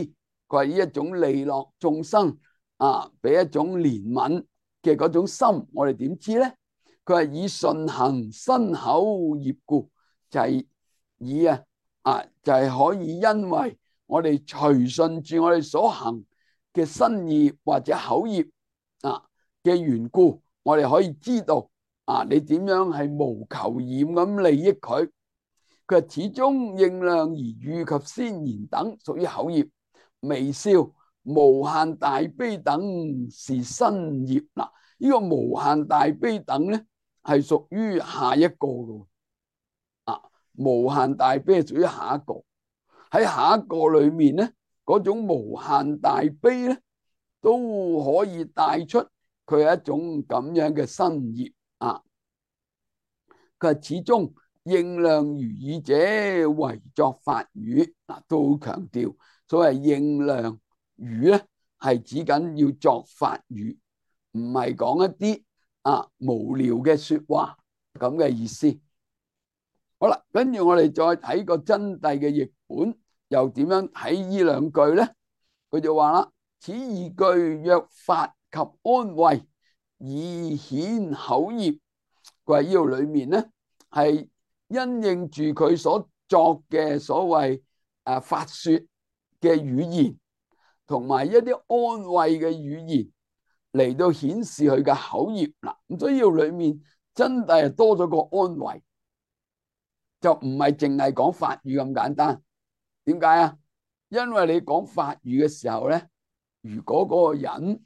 佢話呢一種利樂眾生啊，俾一種憐憫嘅嗰種心，我哋點知咧？佢係以順行身口業故，就係、是、以啊啊，就係、是、可以因為我哋隨順住我哋所行嘅身業或者口業啊嘅緣故，我哋可以知道啊，你點樣係無求厭咁利益佢。佢話始終應量而語及先言等屬於口業，微笑無限大悲等是身業。嗱，呢個無限大悲等咧係屬於下一個嘅啊，無限大悲係屬於下一個。喺下一個裏面咧，嗰種無限大悲咧都可以帶出佢係一種咁樣嘅身業啊。佢係始終應量如語者為作法語，嗱，都好強調所謂應量語咧係指緊要作法語，唔係講一啲啊無聊嘅說話咁嘅意思。好啦，跟住我哋再睇個真諦嘅譯本，又點樣睇呢兩句咧？佢就話啦：此二句若法及安慰，以顯口業。佢話呢度裏面咧係因應住佢所作嘅所謂誒法說嘅語言，同埋一啲安慰嘅語言嚟到顯示佢嘅口業啦。咁所以呢度裏面真係多咗個安慰，就唔係淨係講法語咁簡單。點解啊？因為你講法語嘅時候咧，如果嗰個人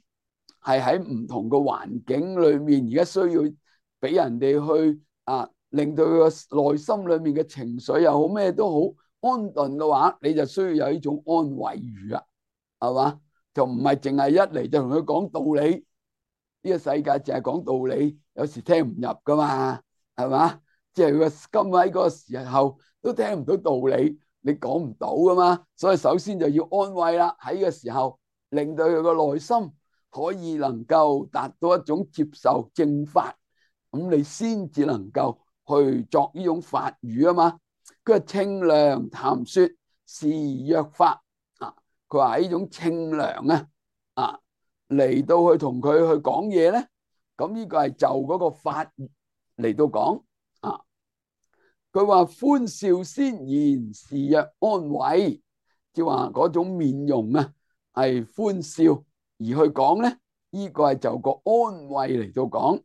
係喺唔同嘅環境裏面，而家需要俾人哋去啊，令到佢個內心裏面嘅情緒又好咩都好安頓嘅話，你就需要有呢種安慰語啊，係嘛？就唔係淨係一嚟就同佢講道理。呢個世界淨係講道理，有時聽唔入噶嘛，係嘛？即係佢個今喺嗰個時候都聽唔到道理，你講唔到噶嘛。所以首先就要安慰啦，喺呢個時候令到佢個內心可以能夠達到一種接受正法，咁你先至能夠去作呢種法語啊嘛。佢話清涼談說是約法啊，佢話呢種清涼啊啊嚟到去同佢去講嘢咧，咁呢個係就嗰個法嚟到講啊。佢話歡笑先言是曰安慰，即係話嗰種面容啊係歡笑而去講咧，呢個係就個安慰嚟到講。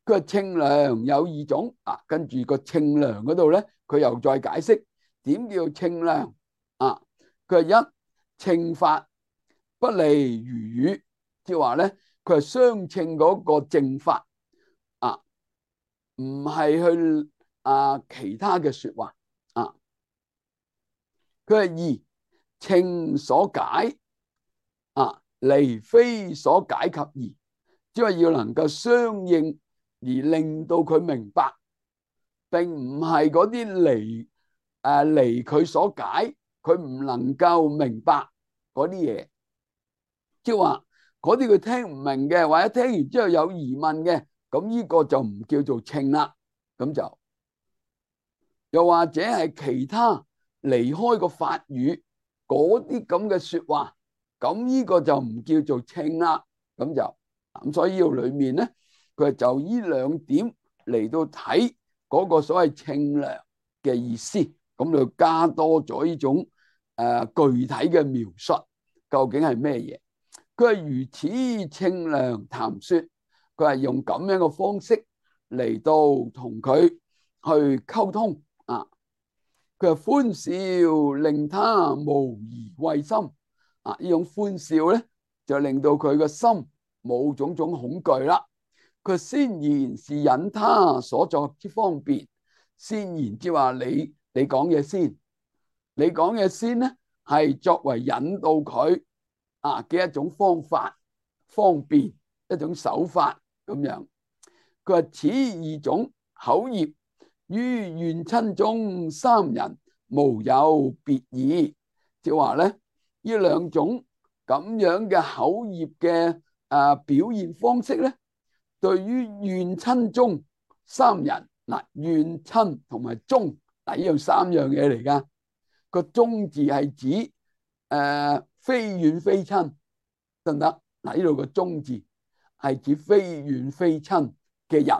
佢話清涼有二種啊，跟住個清涼嗰度咧，佢又再解釋點叫清涼啊。佢話一清法不離如語，即係話咧，佢係相稱嗰個正法啊，唔係去啊其他嘅說話啊。佢係二稱所解啊，離非所解及義，即係要能夠相應而令到佢明白，並唔係嗰啲離誒離佢所解，佢唔能夠明白嗰啲嘢，即係話嗰啲佢聽唔明嘅，或者聽完之後有疑問嘅，咁呢個就唔叫做稱啦。咁就又或者係其他離開個法語嗰啲咁嘅說話，咁呢個就唔叫做稱啦。咁就咁，所以呢度裏面咧，佢就呢兩點嚟到睇嗰個所謂清涼嘅意思，咁就加多咗呢種誒、呃、具體嘅描述，究竟係咩嘢？佢係如此清涼談說，佢係用咁樣嘅方式嚟到同佢去溝通啊。佢係歡笑令他無疑畏心啊，呢種歡笑咧就令到佢個心冇種種恐懼啦。佢先言是引他所作之方便，先言即話你你講嘢先，你講嘢先咧係作為引導佢啊嘅一種方法，方便一種手法咁樣。佢話此二種口業於怨親中三人無有別異，即係話咧呢兩種咁樣嘅口業嘅誒表現方式咧，對於怨親中三人嗱，怨親同埋中嗱呢樣三樣嘢嚟噶。個中字係指誒、呃、非怨非親得唔得？嗱呢度個中字係指非怨非親嘅人，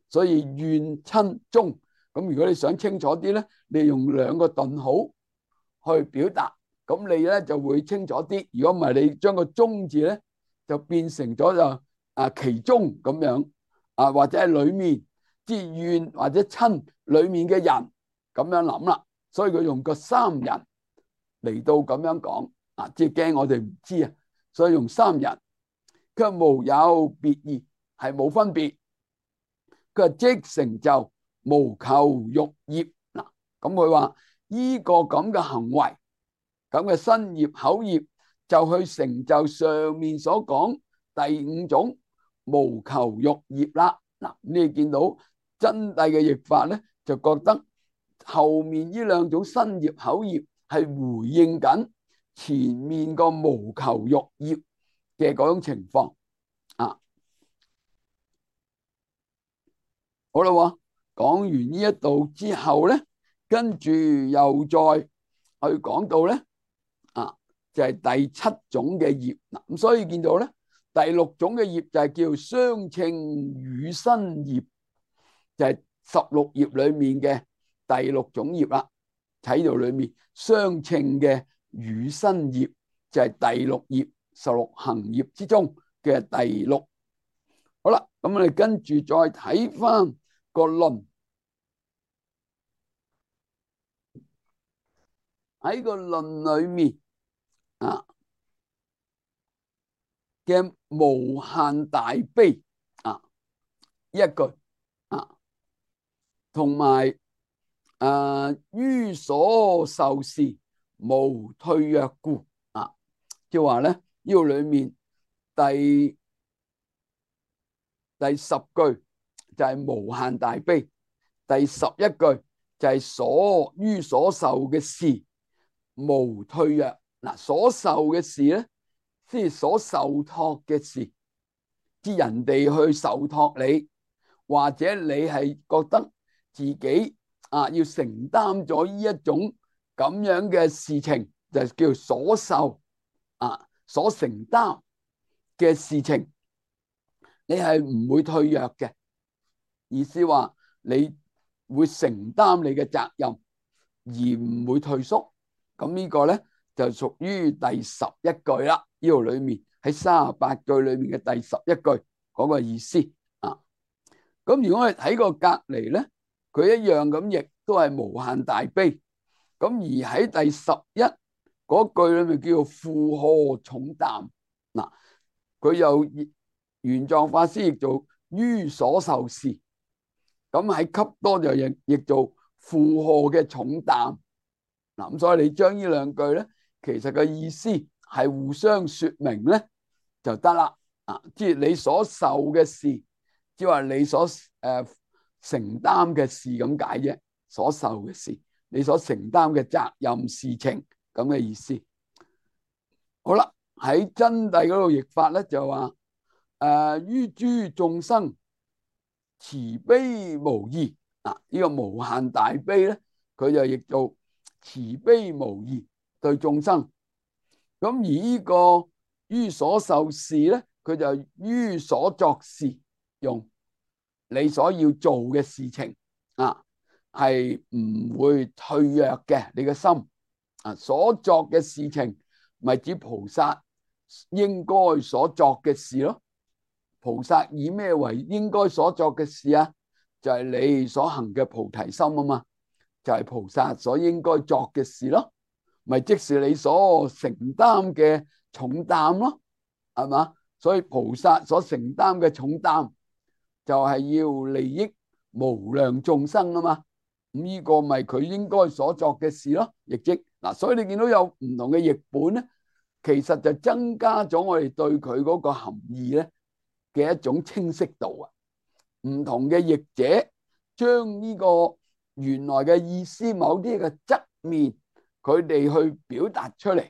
所以怨親中。咁如果你想清楚啲咧，你用兩個頓號去表達，咁你咧就會清楚啲。如果唔係，你將個中字咧就變成咗就啊其中咁樣啊，或者係裏面之怨或者親裏面嘅人咁樣諗啦。所以佢用個三人嚟到咁樣講啊，即係驚我哋唔知啊，所以用三人。佢無有別異，係冇分別。佢話即成就無求欲業嗱，咁佢話呢個咁嘅行為，咁嘅身業口業，就去成就上面所講第五種無求欲業啦。嗱，你見到真諦嘅譯法咧，就覺得後面呢兩種身業口業係回應緊前面個無求欲業嘅嗰種情況啊。好啦，講完呢一度之後咧，跟住又再去講到咧啊，就係第七種嘅業嗱。咁所以見到咧，第六種嘅業就係叫相稱語身業，就係十六業裏面嘅第六種業啦。喺度裏面相稱嘅語身業就係第六業，十六行業之中嘅第六。好啦，咁我哋跟住再睇翻個論，喺個論裏面啊嘅無限大悲啊一句啊，同埋誒於所受事無退躍故啊，即係話咧呢個裏面第第十句就係無限大悲，第十一句就係所於所受嘅事無退躍。嗱，所受嘅事咧，即係所受託嘅事，即係人哋去受託你，或者你係覺得自己啊要承擔咗呢一種咁樣嘅事情，就叫所受啊，所承擔嘅事情，你係唔會退躍嘅。意思話你會承擔你嘅責任，而唔會退縮。咁呢個咧就屬於第十一句啦。呢度裏面喺三十八句裏面嘅第十一句嗰個意思啊。咁如果我哋睇個隔籬咧，佢一樣咁譯都係無限大悲。咁而喺第十一嗰句裏面叫做負荷重擔。嗱，佢又玄奘法師譯做於所受事，咁喺笈多就譯譯做負荷嘅重擔。嗱，咁所以你將呢兩句咧，其實個意思係互相說明咧就得啦。啊，即係你所受嘅事，即係話你所誒、呃、承擔嘅事咁解啫。所受嘅事，你所承擔嘅責任事情咁嘅意思。好啦，喺真諦嗰度譯法咧就話誒於諸眾生慈悲無異。啊，呢、這個無限大悲咧，佢就譯做慈悲無異對眾生。咁而呢個於所受事咧，佢就於所作事用，你所要做嘅事情啊，係唔會退躍嘅。你嘅心啊，所作嘅事情咪指菩薩應該所作嘅事咯。菩薩以咩為應該所作嘅事啊？就係你所行嘅菩提心啊嘛，就係菩薩所應該作嘅事咯。咪即是你所承擔嘅重擔咯，係嘛？所以菩薩所承擔嘅重擔就係要利益無量眾生啊嘛。咁呢個咪佢應該所作嘅事咯，亦即嗱。所以你見到有唔同嘅譯本咧，其實就增加咗我哋對佢嗰個含義咧嘅一種清晰度啊。唔同嘅譯者將呢個原來嘅意思某啲嘅側面，佢哋去表達出嚟，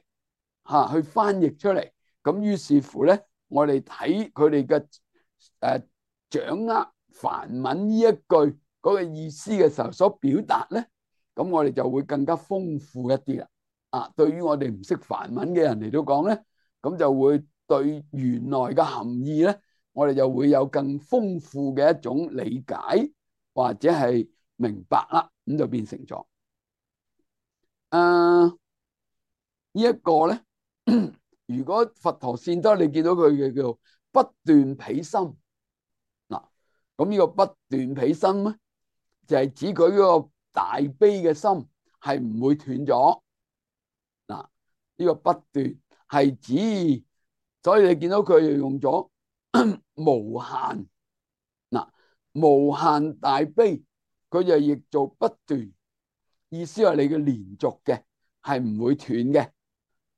吓去翻譯出嚟。咁於是乎咧，我哋睇佢哋嘅誒掌握梵文呢一句嗰個意思嘅時候所表達咧，咁我哋就會更加豐富一啲啦。啊，對於我哋唔識梵文嘅人嚟到講咧，咁就會對原來嘅含義咧，我哋就會有更豐富嘅一種理解或者係明白啦。咁就變成咗誒呢一個咧。如果佛陀善得，你見到佢嘅叫不斷彼心嗱，咁呢個不斷彼心咧，就係指佢嗰個大悲嘅心係唔會斷咗嗱。呢個不斷係指，所以你見到佢又用咗無限嗱，無限大悲，佢就譯做不斷，意思係你嘅連續嘅係唔會斷嘅。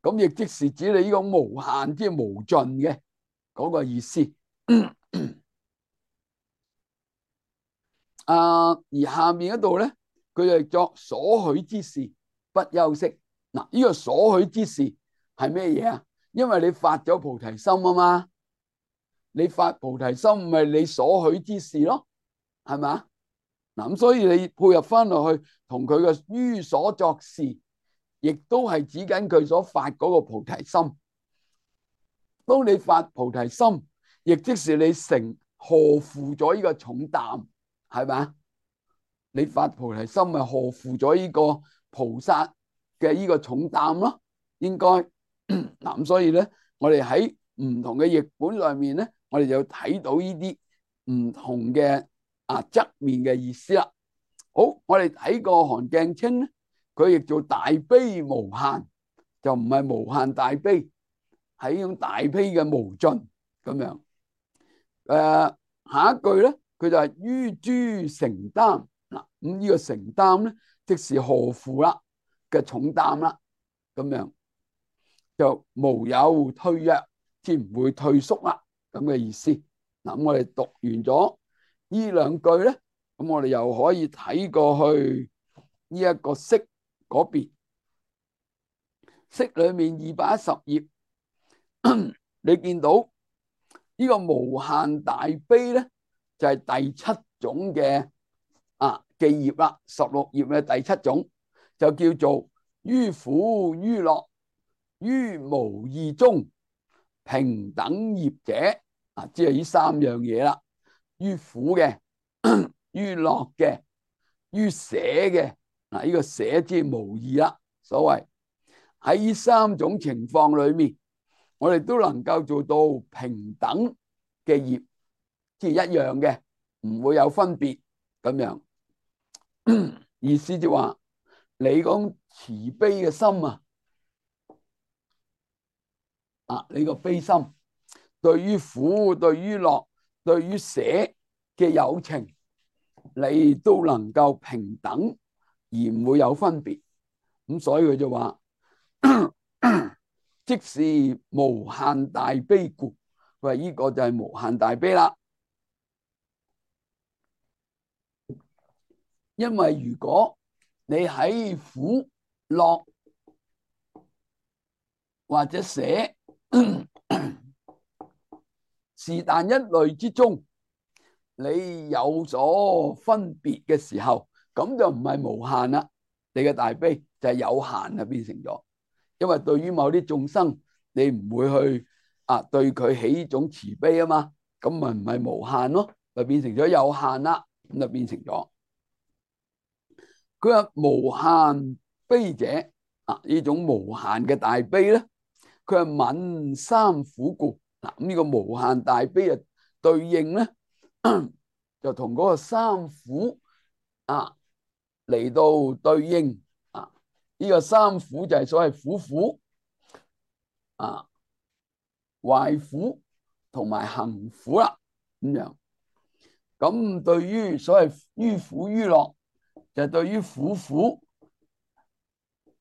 咁亦即是指你呢個無限，即係無盡嘅嗰個意思。啊，而下面嗰度咧，佢就作所許之事不休息。嗱，呢個所許之事係咩嘢啊？因為你發咗菩提心啊嘛，你發菩提心咪你所許之事咯，係咪？嗱，咁所以你配合翻落去，同佢嘅於所作事，亦都係指緊佢所發嗰個菩提心。當你發菩提心，亦即是你承荷負咗呢個重擔，係咪？你發菩提心咪荷負咗呢個菩薩嘅呢個重擔咯，應該嗱。咁所以咧，我哋喺唔同嘅譯本裏面咧，我哋就睇到呢啲唔同嘅啊側面嘅意思啦。好，我哋睇個韓鏡清咧，佢亦做大悲無限就唔係無限大悲，係呢種大悲嘅無盡咁樣。誒，下一句咧，佢就係於諸承擔嗱，咁呢個承擔咧，即是荷負啦嘅重擔啦，咁樣就無有退躍，即唔會退縮啦，咁嘅意思。嗱，咁我哋讀完咗呢兩句咧，咁我哋又可以睇過去呢一個釋嗰邊，釋裏面二百一十頁，你見到呢個無限大悲咧，就係第七種嘅啊嘅業啦，十六頁嘅第七種就叫做於苦於樂於無義中平等業者啊，即係呢三樣嘢啦。於苦嘅、於樂嘅、於捨嘅嗱，呢個捨即係無義啦。所謂喺呢三種情況裏面，我哋都能夠做到平等嘅業，即係一樣嘅，唔會有分別咁樣。意思就話你講慈悲嘅心啊，啊你個悲心對於苦、對於樂、對於捨嘅有情，你都能夠平等而唔會有分別。咁所以佢就話即是無限大悲故，佢話呢個就係無限大悲啦。因為如果你喺苦樂或者捨是但一類之中，你有所分別嘅時候，咁就唔係無限啦。你嘅大悲就係有限啊，變成咗。因為對於某啲眾生，你唔會去啊對佢起呢種慈悲啊嘛，咁咪唔係無限咯，就變成咗有限啦，咁就變成咗。佢話無限悲者啊，呢種無限嘅大悲咧，佢係泯三苦故。嗱，咁呢個無限大悲啊，對應咧就同嗰個三苦啊嚟到對應啊。呢個三苦就係所謂苦苦啊、壞苦同埋行苦啦，咁樣。咁對於所謂於苦於樂，就係對於苦苦，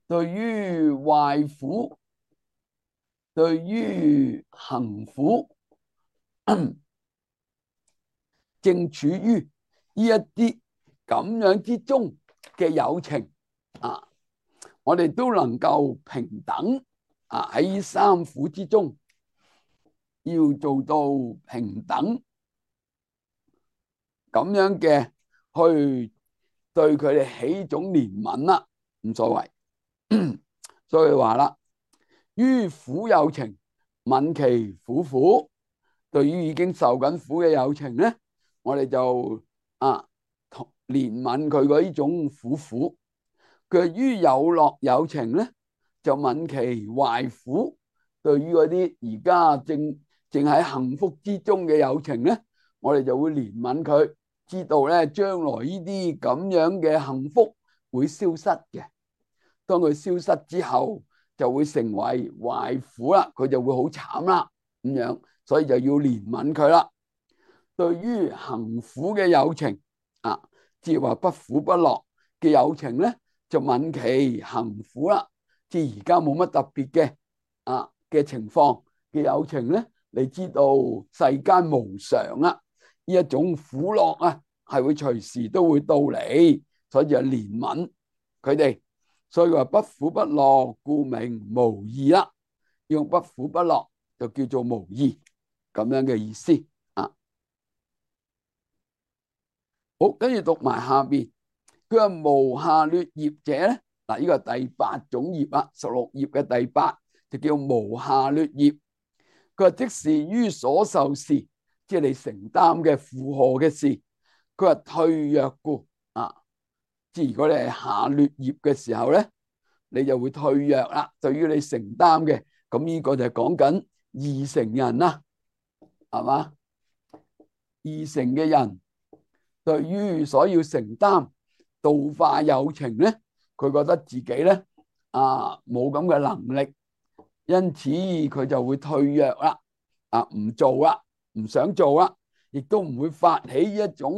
對於壞苦，對於行苦，正處於呢一啲咁樣之中嘅有情啊，我哋都能夠平等啊，喺三苦之中要做到平等咁樣嘅去對佢哋起一種憐憫啦，唔所謂。所以話啦，於苦有情愍其苦苦，對於已經受緊苦嘅有情咧，我哋就啊憐憫佢嗰呢種苦苦。佢於有樂有情咧，就愍其壞苦，對於嗰啲而家正正喺幸福之中嘅有情咧，我哋就會憐憫佢，知道咧將來呢啲咁樣嘅幸福會消失嘅。當佢消失之後，就會成為壞苦啦，佢就會好慘啦，咁樣，所以就要憐憫佢啦。對於行苦嘅有情啊，即係話不苦不樂嘅有情咧，就愍其行苦啦。即係而家冇乜特別嘅啊嘅情況嘅有情咧，你知道世間無常啦，呢一種苦樂啊，係會隨時都會到嚟，所以就憐憫佢哋。所以話不苦不樂，故名無義啦。用不苦不樂就叫做無義，咁樣嘅意思啊。好，跟住讀埋下邊，佢話無下劣業者咧，嗱呢個係第八種業啦，十六頁嘅第八就叫無下劣業。佢話即是於所受事，即係你承擔嘅負荷嘅事，佢話退躍故啊。即係如果你係下劣業嘅時候咧，你就會退躍啦。對於你承擔嘅，咁呢個就係講緊二乘人啦，係嘛？二乘嘅人對於所要承擔度化有情咧，佢覺得自己咧啊冇咁嘅能力，因此佢就會退讓啦，啊唔做啦，唔想做啦，亦都唔會發起一種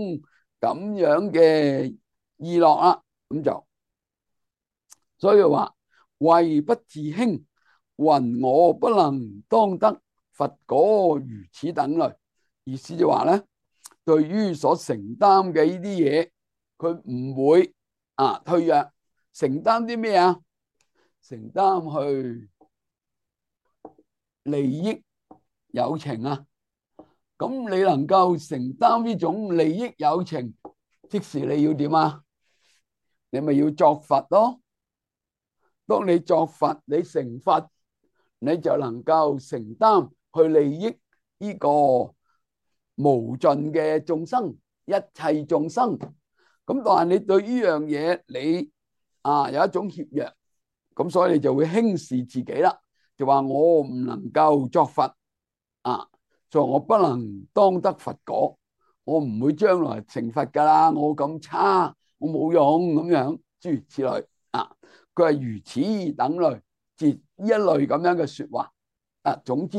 咁樣嘅意樂啦。咁就所以話為不自輕，云我不能當得佛果如此等類。意思就話咧，對於所承擔嘅呢啲嘢，佢唔會啊退讓。承擔啲咩啊？承擔去利益有情啊。咁你能夠承擔呢種利益有情，即是你要點啊？你咪要作佛咯。當你作佛，你成佛，你就能夠承擔去利益呢個無盡嘅眾生，一切眾生。咁但係你對呢樣嘢，你啊有一種怯弱，咁所以你就會輕視自己啦，就話我唔能夠作佛啊，所以我不能當得佛果，我唔會將來成佛噶啦，我咁差，我冇用咁樣，諸如此類啊。佢係如此等類，即一類咁樣嘅說話啊。總之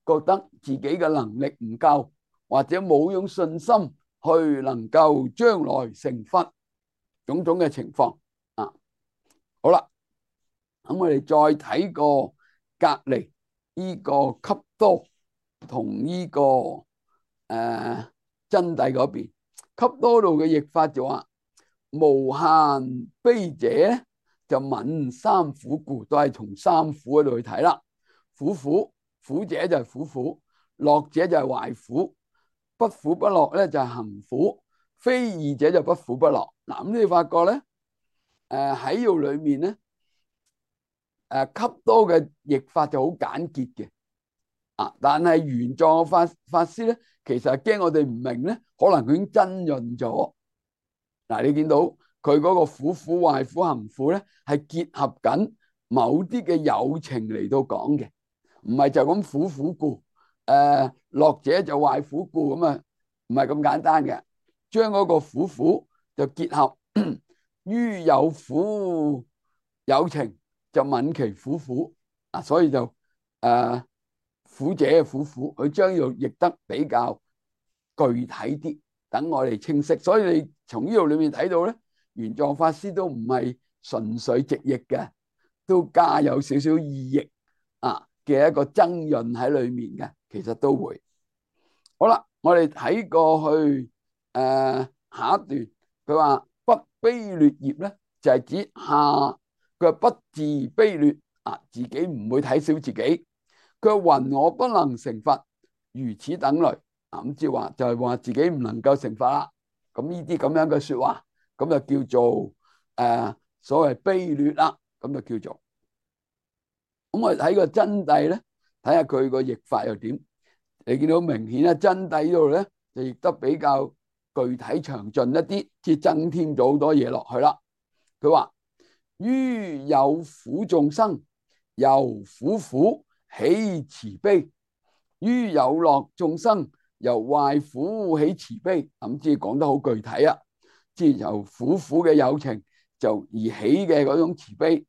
覺得自己嘅能力唔夠，或者冇用信心去能夠將來成佛，種種嘅情況啊。好啦，咁我哋再睇個隔籬呢個笈多同呢個誒真諦嗰邊。笈多度嘅譯法就話無限悲者就泯三苦故，都係從三苦嗰度去睇啦。苦苦苦者就係苦苦，樂者就係壞苦，不苦不樂咧就係行苦，非義者就不苦不樂。嗱，咁你發覺咧，誒喺呢度裏面咧，誒笈多嘅譯法就好簡潔嘅啊，但係原藏嘅法法師咧，其實係驚我哋唔明咧，可能佢已經增潤咗。嗱，你見到佢嗰個苦苦壞苦行苦咧，係結合緊某啲嘅有情嚟到講嘅，唔係就咁苦苦故，誒樂者就壞苦故咁啊，唔係咁簡單嘅。將嗰個苦苦就結合於有苦有情，就泯其苦苦啊，所以就誒苦者嘅苦苦，佢將要譯得比較具體啲，等我哋清晰。所以你從呢度裏面睇到咧，玄奘法師都唔係純粹直譯嘅，都加有少少意譯啊嘅一個增潤喺裏面嘅，其實都會。好啦，我哋睇過去誒下一段，佢話不卑劣業咧，就係指下佢不自卑劣啊，自己唔會睇小自己。佢話云我不能成佛，如此等類啊，咁即係話就係話自己唔能夠成佛啦。咁呢啲咁樣嘅說話，咁就叫做誒所謂卑劣啦，咁就叫做。咁我哋睇個真諦咧，睇下佢個譯法又點。你見到明顯咧，真諦呢度咧就譯得比較具體詳盡一啲，即係增添咗好多嘢落去啦。佢話於有苦眾生，由苦苦起慈悲；於有樂眾生，由壞苦起慈悲。咁即係講得好具體啊！即係由苦苦嘅有情就而起嘅嗰種慈悲，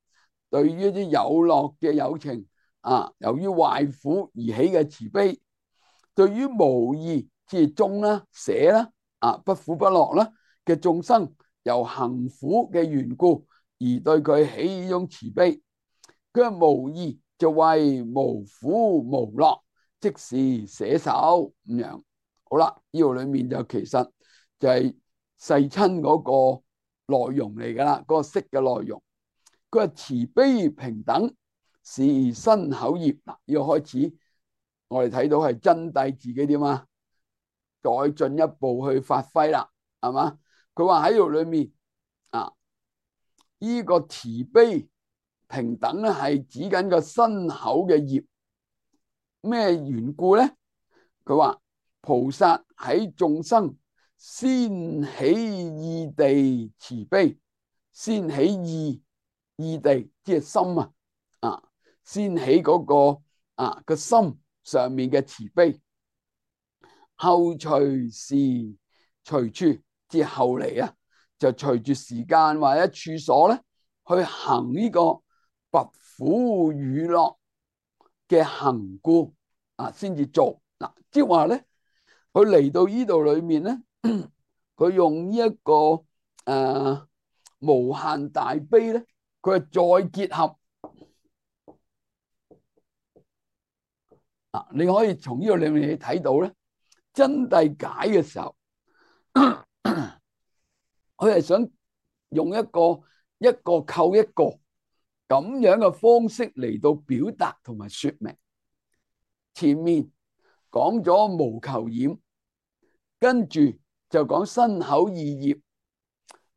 對於一啲有樂嘅有情啊，由於壞苦而起嘅慈悲，對於無義即係中啦、捨啦、啊不苦不樂啦嘅眾生，由行苦嘅緣故而對佢起呢種慈悲。佢話無義就為無苦無樂，即是捨手咁樣。好啦，呢度裏面就其實就係世親嗰個內容嚟噶啦，嗰個釋嘅內容。佢話慈悲平等是身口業。嗱，呢個開始我哋睇到係真諦自己點啊，再進一步去發揮啦，係嘛？佢話喺度裏面啊，呢個慈悲平等咧係指緊個身口嘅業。咩緣故咧？佢話菩薩喺眾生先起意地慈悲，先起意意地即係心啊，啊先起嗰個啊個心上面嘅慈悲，後隨時隨處即係後嚟啊，就隨住時間或者處所咧去行呢個拔苦與樂嘅行故啊，先至做嗱。即係話咧，佢嚟到呢度裏面咧，佢用呢、這、一個誒、呃、無限大悲咧，佢係再結合啊。你可以從呢度裏面睇到咧，真諦解嘅時候，佢係想用一個一個扣一個咁樣嘅方式嚟到表達同埋說明。前面講咗無求染，跟住就講身口意業，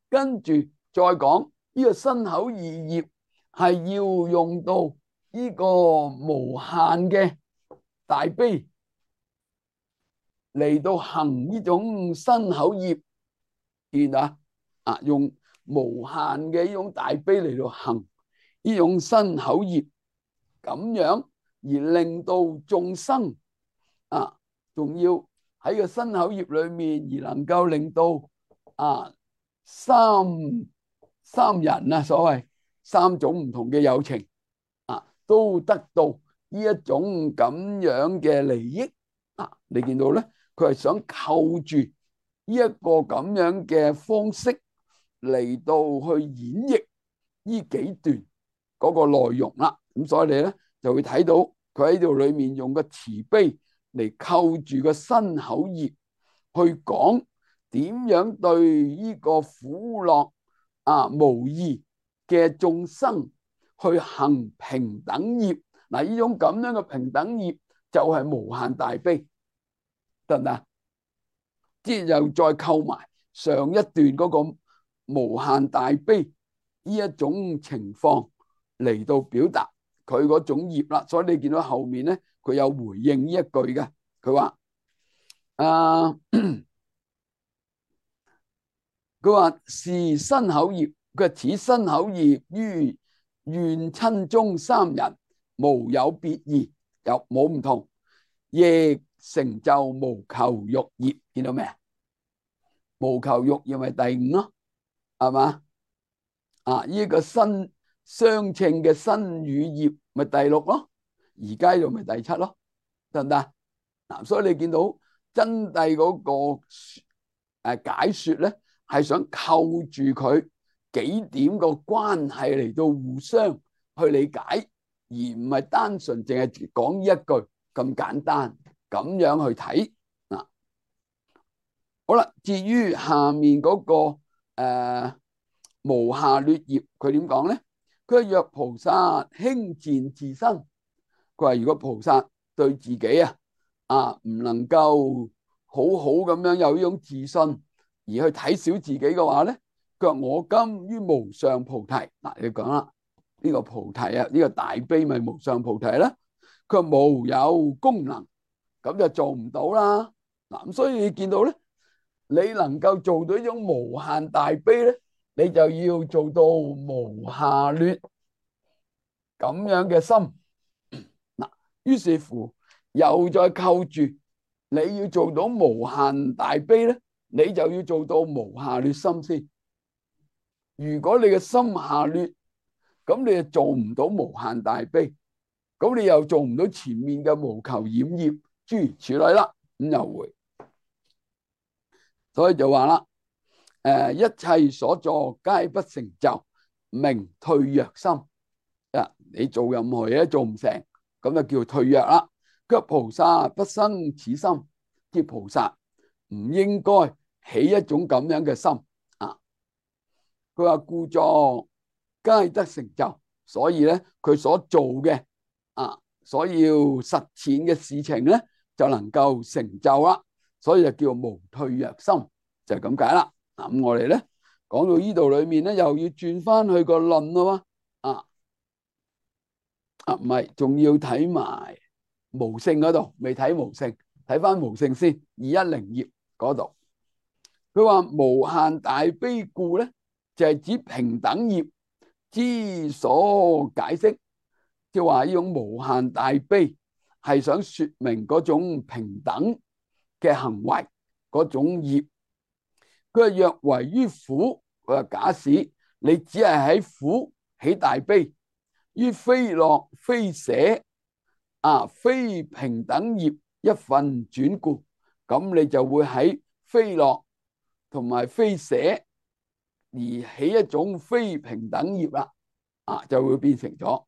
跟住再講呢個身口意業係要用到呢個無限嘅大悲嚟到行呢種身口業，見啊啊，用無限嘅呢種大悲嚟到行呢種身口業，咁樣而令到眾生啊，仲要喺個身口業裏面而能夠令到啊三三人啊，所謂三種唔同嘅有情啊，都得到呢一種咁樣嘅利益啊。你見到咧，佢係想扣住呢一個咁樣嘅方式嚟到去演繹呢幾段嗰個內容啦。咁所以你咧就會睇到佢喺度裏面用個慈悲嚟扣住個身口業，去講點樣對呢個苦樂啊無異嘅眾生去行平等業。嗱，呢種咁樣嘅平等業就係無限大悲，得唔得？即係又再扣埋上一段嗰個無限大悲呢一種情況嚟到表達佢嗰種業啦。所以你見到後面咧，佢有回應呢一句嘅，佢話啊，佢話是身口業，佢此身口業於願親中三人無有別異，有冇唔同，亦成就無求欲業。見到咩啊？無求欲業咪第五咯，係嘛？啊，呢、這個身相稱嘅身語業咪第六咯，而家又咪第七咯，得唔得？嗱、啊，所以你見到真諦嗰個誒解說咧，係想扣住佢幾點個關係嚟到互相去理解，而唔係單純淨係講呢一句咁簡單咁樣去睇嗱。好啦，至於下面嗰、那個誒、呃、無下劣業，佢點講咧？佢話若菩薩輕賤自身，佢話如果菩薩對自己啊啊唔能夠好好咁樣有呢種自信，而去睇小自己嘅話咧，佢話我今於無上菩提。嗱，你講啦，呢、這個菩提啊，呢、這個大悲咪無上菩提啦。佢話無有功能，咁就做唔到啦。嗱，咁所以你見到咧，你能夠做到呢種無限大悲咧，你就要做到無下劣咁樣嘅心。嗱，於是乎又再扣住，你要做到無限大悲咧，你就要做到無下劣心先。如果你嘅心下劣，咁你就做唔到無限大悲，咁你又做唔到前面嘅無求染業諸如此類啦。咁又會，所以就話啦，誒，一切所作皆不成就，名退弱心。啊，你做任何嘢都做唔成，咁就叫退弱啦。佢話菩薩不生此心，即菩薩唔應該起一種咁樣嘅心啊。佢話故作皆得成就，所以咧佢所做嘅啊，所要實踐嘅事情咧就能夠成就啦。所以就叫無退弱心，就係咁解啦。嗱，咁我哋咧講到呢度裏面咧，又要轉翻去個論咯。啊啊，唔係，仲要睇埋無性嗰度，未睇無性，睇翻無性先。二一零頁嗰度，佢話無限大悲故咧，就係指平等業之所解釋，即係話呢種無限大悲係想說明嗰種平等嘅行為嗰種業。佢話若為於苦，佢話假使你只係喺苦起大悲，於非樂非捨啊，非平等業一分轉故，咁你就會喺非樂同埋非捨而起一種非平等業啦，啊，就會變成咗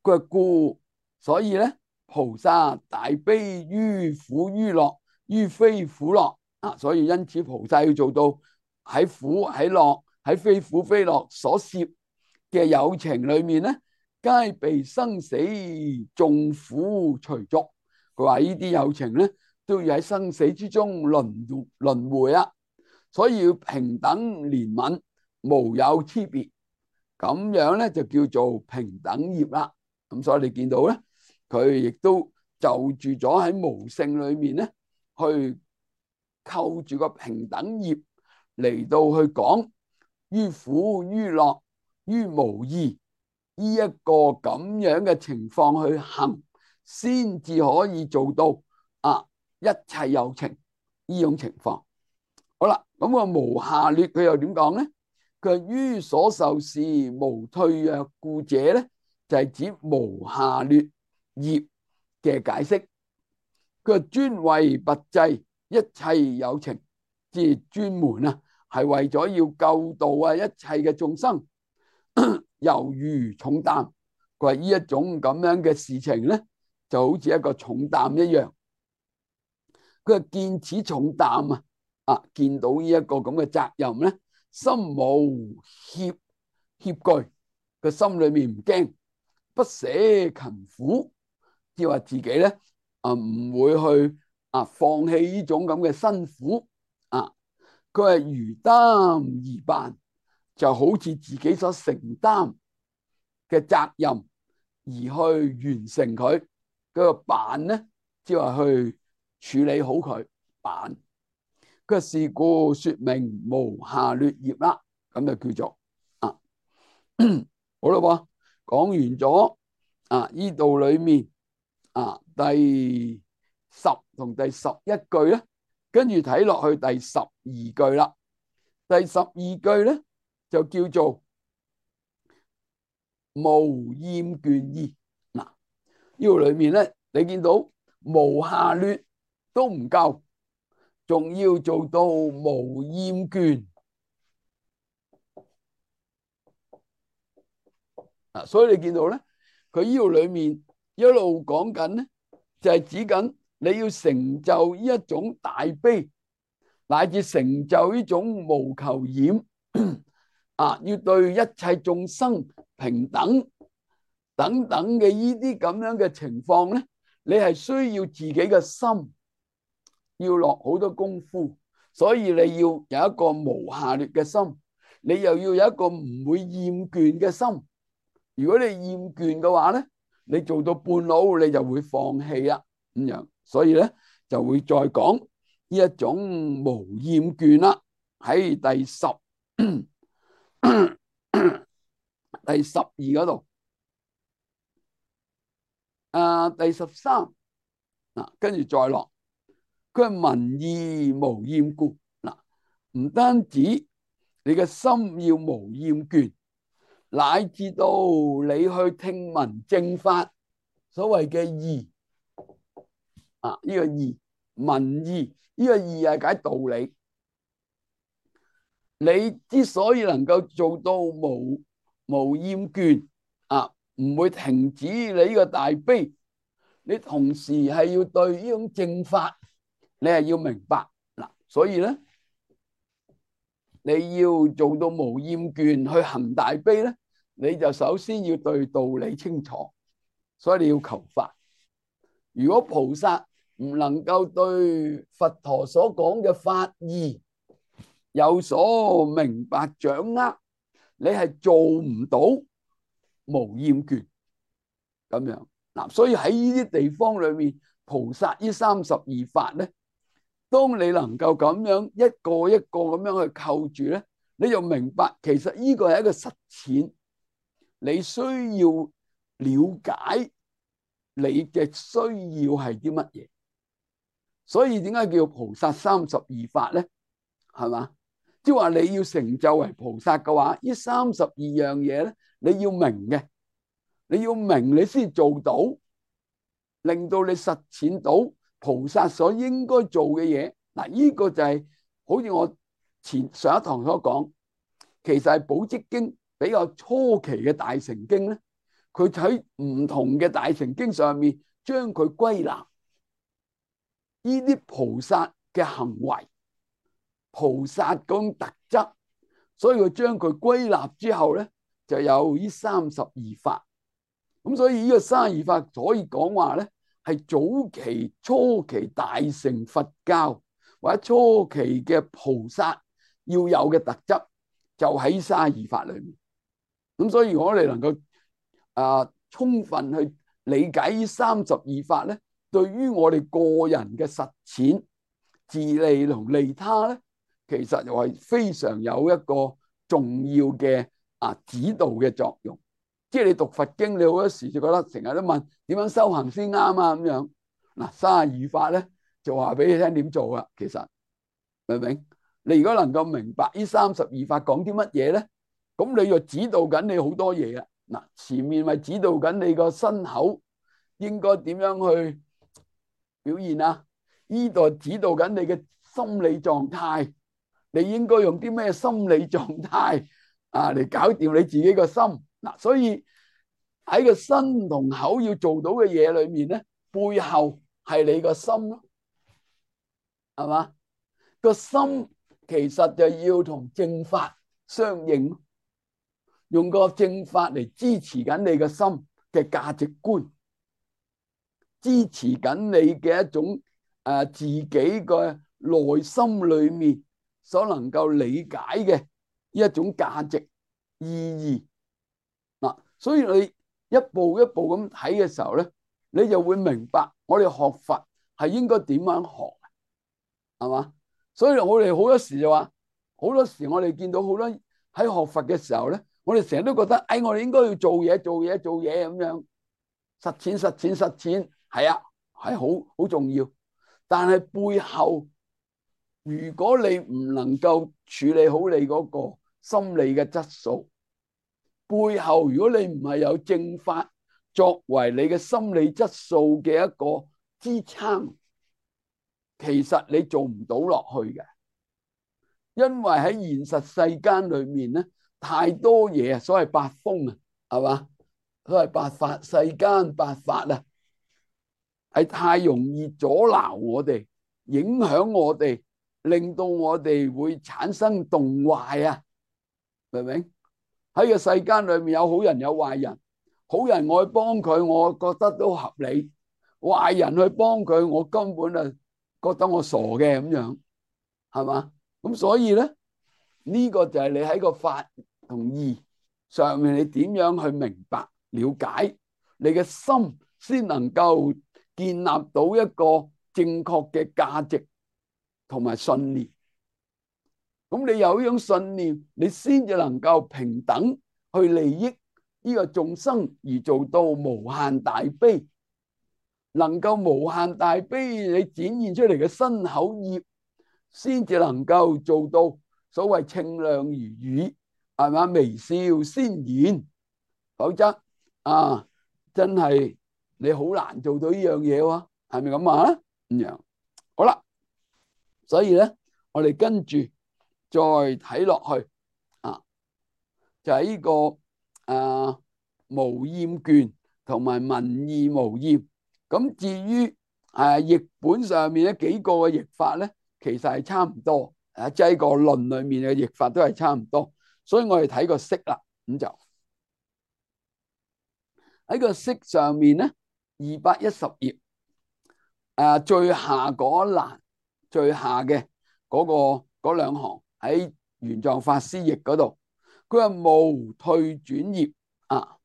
佢話故，所以咧菩薩大悲於苦於樂於非苦樂啊，所以因此菩薩要做到喺苦喺樂喺非苦非樂所涉嘅有情裏面咧，皆被生死眾苦隨逐。佢話呢啲有情咧都要喺生死之中輪輪迴啊，所以要平等憐憫，無有差別，咁樣咧就叫做平等業啦。咁所以你見到咧，佢亦都就住咗喺無性裏面咧，去扣住個平等業嚟到去講於苦於樂於無異呢一個咁樣嘅情況去行，先至可以做到啊一切有情呢種情況。好啦，咁個無下劣佢又點講咧？佢話於所受事無退弱故者咧，就係指無下劣業嘅解釋。佢話專為拔濟一切有情，即係專門啊，係為咗要救度啊一切嘅眾生，猶如重擔。佢話呢一種咁樣嘅事情咧，就好似一個重擔一樣。佢話見此重擔啊，啊見到呢一個咁嘅責任咧，心無怯怯懼，個心裏面唔驚，不捨勤苦，即係話自己咧啊唔會去啊放棄呢種咁嘅辛苦啊。佢係如擔而辦，就好似自己所承擔嘅責任而去完成佢。嗰個辦咧，即係話去處理好佢辦。佢是故說明無下劣業啦，咁就叫做啊好啦噃，講完咗啊呢度裏面啊第十同第十一句咧，跟住睇落去第十二句啦。第十二句咧就叫做無厭倦意。嗱，呢度裏面咧，你見到無下劣都唔夠，仲要做到無厭倦啊！所以你見到咧，佢呢度裏面一路講緊咧，就係指緊你要成就呢一種大悲，乃至成就呢種無求染啊，要對一切眾生平等等等嘅呢啲咁樣嘅情況咧，你係需要自己嘅心要落好多功夫，所以你要有一個無下劣嘅心，你又要有一個唔會厭倦嘅心。如果你厭倦嘅話咧，你做到半路你就會放棄啦咁樣，所以咧就會再講呢一種無厭倦啦。喺第十第十二嗰度，啊第十三嗱，跟住再落，佢係聞義無厭故嗱，唔單止你嘅心要無厭倦，乃至到你去聽聞正法，所謂嘅義啊，呢個義聞義，呢個義係解道理。你之所以能夠做到無無厭倦啊，唔會停止你呢個大悲，你同時係要對呢種正法，你係要明白嗱。所以咧，你要做到無厭倦去行大悲咧，你就首先要對道理清楚，所以你要求法。如果菩薩唔能夠對佛陀所講嘅法義有所明白掌握，你係做唔到無厭倦咁樣嗱。所以喺呢啲地方裏面，菩薩呢三十二法咧，當你能夠咁樣一個一個咁樣去扣住咧，你就明白其實呢個係一個實踐，你需要了解你嘅需要係啲乜嘢。所以點解叫菩薩三十二法咧？係嘛？即係話你要成就為菩薩嘅話，呢三十二樣嘢咧，你要明嘅，你要明你先做到，令到你實踐到菩薩所應該做嘅嘢。嗱，呢個就係好似我前上一堂所講，其實係《寶積經》比較初期嘅大乘經咧，佢喺唔同嘅大乘經上面將佢歸納呢啲菩薩嘅行為、菩薩嗰種特質，所以佢將佢歸納之後咧，就有呢三十二法。咁所以呢個三十二法可以講話咧，係早期初期大乘佛教或者初期嘅菩薩要有嘅特質，就喺三十二法裏面。咁所以如果我哋能夠啊充分去理解呢三十二法咧，對於我哋個人嘅實踐、自利同利他咧，其實又係非常有一個重要嘅啊指導嘅作用。即係你讀佛經，你好多時就覺得成日都問點樣修行先啱啊咁樣。嗱，三十二法咧就話俾你聽點做啦。其實明唔明？你如果能夠明白呢三十二法講啲乜嘢咧，咁你就指導緊你好多嘢啊。嗱，前面咪指導緊你個身口應該點樣去表現啊？呢度指導緊你嘅心理狀態，你應該用啲咩心理狀態啊嚟搞掂你自己個心。嗱，所以喺個身同口要做到嘅嘢裏面咧，背後係你個心咯，係嘛？個心其實就要同正法相應，用個正法嚟支持緊你個心嘅價值觀，支持緊你嘅一種誒自己嘅內心裏面所能夠理解嘅一種價值意義。嗱，所以你一步一步咁睇嘅時候咧，你就會明白我哋學佛係應該點樣學，係嘛？所以我哋好多時就話，好多時我哋見到好多喺學佛嘅時候咧，我哋成日都覺得，哎，我哋應該要做嘢、做嘢、做嘢咁樣，實踐、實踐、實踐，係啊，係好好重要。但係背後，如果你唔能夠處理好你嗰個心理嘅質素，背後如果你唔係有正法作為你嘅心理質素嘅一個支撐，其實你做唔到落去嘅。因為喺現實世間裏面咧，太多嘢，所謂八風啊，係嘛？所謂八法，世間八法啊，係太容易阻撓我哋，影響我哋，令到我哋會產生動壞啊，明唔明？喺個世間裏面有好人有壞人，好人我去幫佢，我覺得都合理；壞人去幫佢，我根本啊覺得我傻嘅咁樣，係嘛？咁所以咧，呢個就係你喺個法同義上面，你點樣去明白了解，你嘅心先能夠建立到一個正確嘅價值同埋信念。咁你有呢種信念，你先至能夠平等去利益呢個眾生，而做到無限大悲。能夠無限大悲，你展現出嚟嘅身口業，先至能夠做到所謂清亮如雨，係嘛？微笑先現，否則啊，真係你好難做到呢樣嘢喎，係咪咁啊？咁樣好啦，所以咧，我哋跟住再睇落去啊，就係呢個啊無厭卷同埋文意無厭。咁至於誒譯本上面咧幾個嘅譯法咧，其實係差唔多，誒即係個論裏面嘅譯法都係差唔多，所以我哋睇個釋啦，咁就喺個釋上面咧，二百一十頁誒最下嗰一欄最下嘅嗰個嗰兩行喺玄奘法師譯嗰度，佢話無退轉業啊，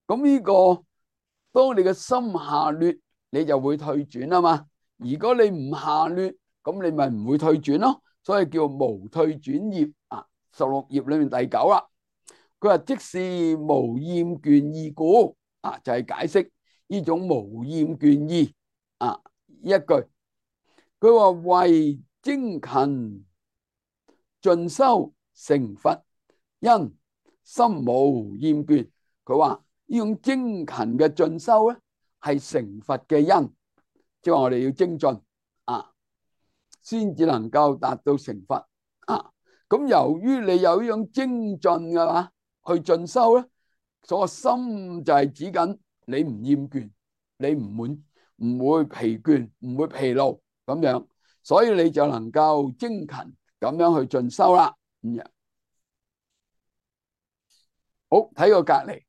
咁呢個。當你嘅心下劣，你就會退轉啊嘛。如果你唔下劣，咁你咪唔會退轉咯。所以叫無退轉業啊。十六頁裏面第九啦，佢話即是無厭倦意故啊，就係、是、解釋呢種無厭倦意啊一句。佢話為精勤進修成佛，因心無厭倦。佢話呢種精勤嘅進修咧，係成佛嘅因，即係話我哋要精進啊，先至能夠達到成佛啊。咁由於你有呢種精進嘅話，去進修咧，所個心就係指緊你唔厭倦，你唔滿，唔會疲倦，唔會疲勞咁樣，所以你就能夠精勤咁樣去進修啦。咁樣好，睇個隔籬，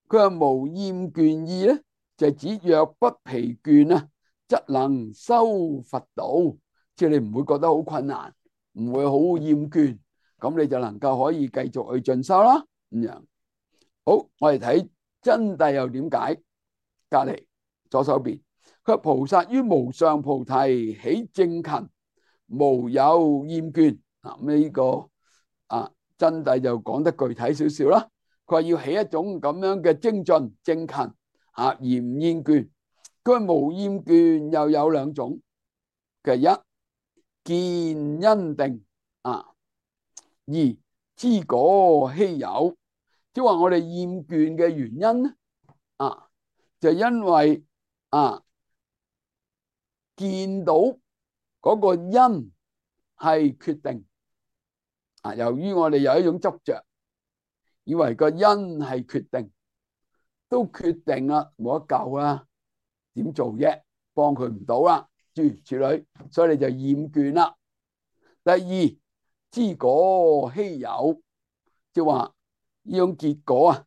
佢話無厭倦意咧，就係指若不疲倦啊，則能修佛道，即係你唔會覺得好困難，唔會好厭倦，咁你就能夠可以繼續去進修啦。咁樣好，我哋睇真諦又點解？隔籬左手邊，佢話菩薩於無上菩提起正勤，無有厭倦。嗱，咁呢個啊真諦就講得具體少少啦。佢話要起一種咁樣嘅精進正勤啊，而唔厭倦。佢話無厭倦又有兩種嘅，一見因定啊，二知果希有。即係話我哋厭倦嘅原因咧啊，就因為啊見到嗰個因係決定啊，由於我哋有一種執着，以為個因係決定，都決定啦，冇得救啦，點做啫？幫佢唔到啦，諸如此類，所以你就厭倦啦。第二，知果希有，即係話呢種結果啊，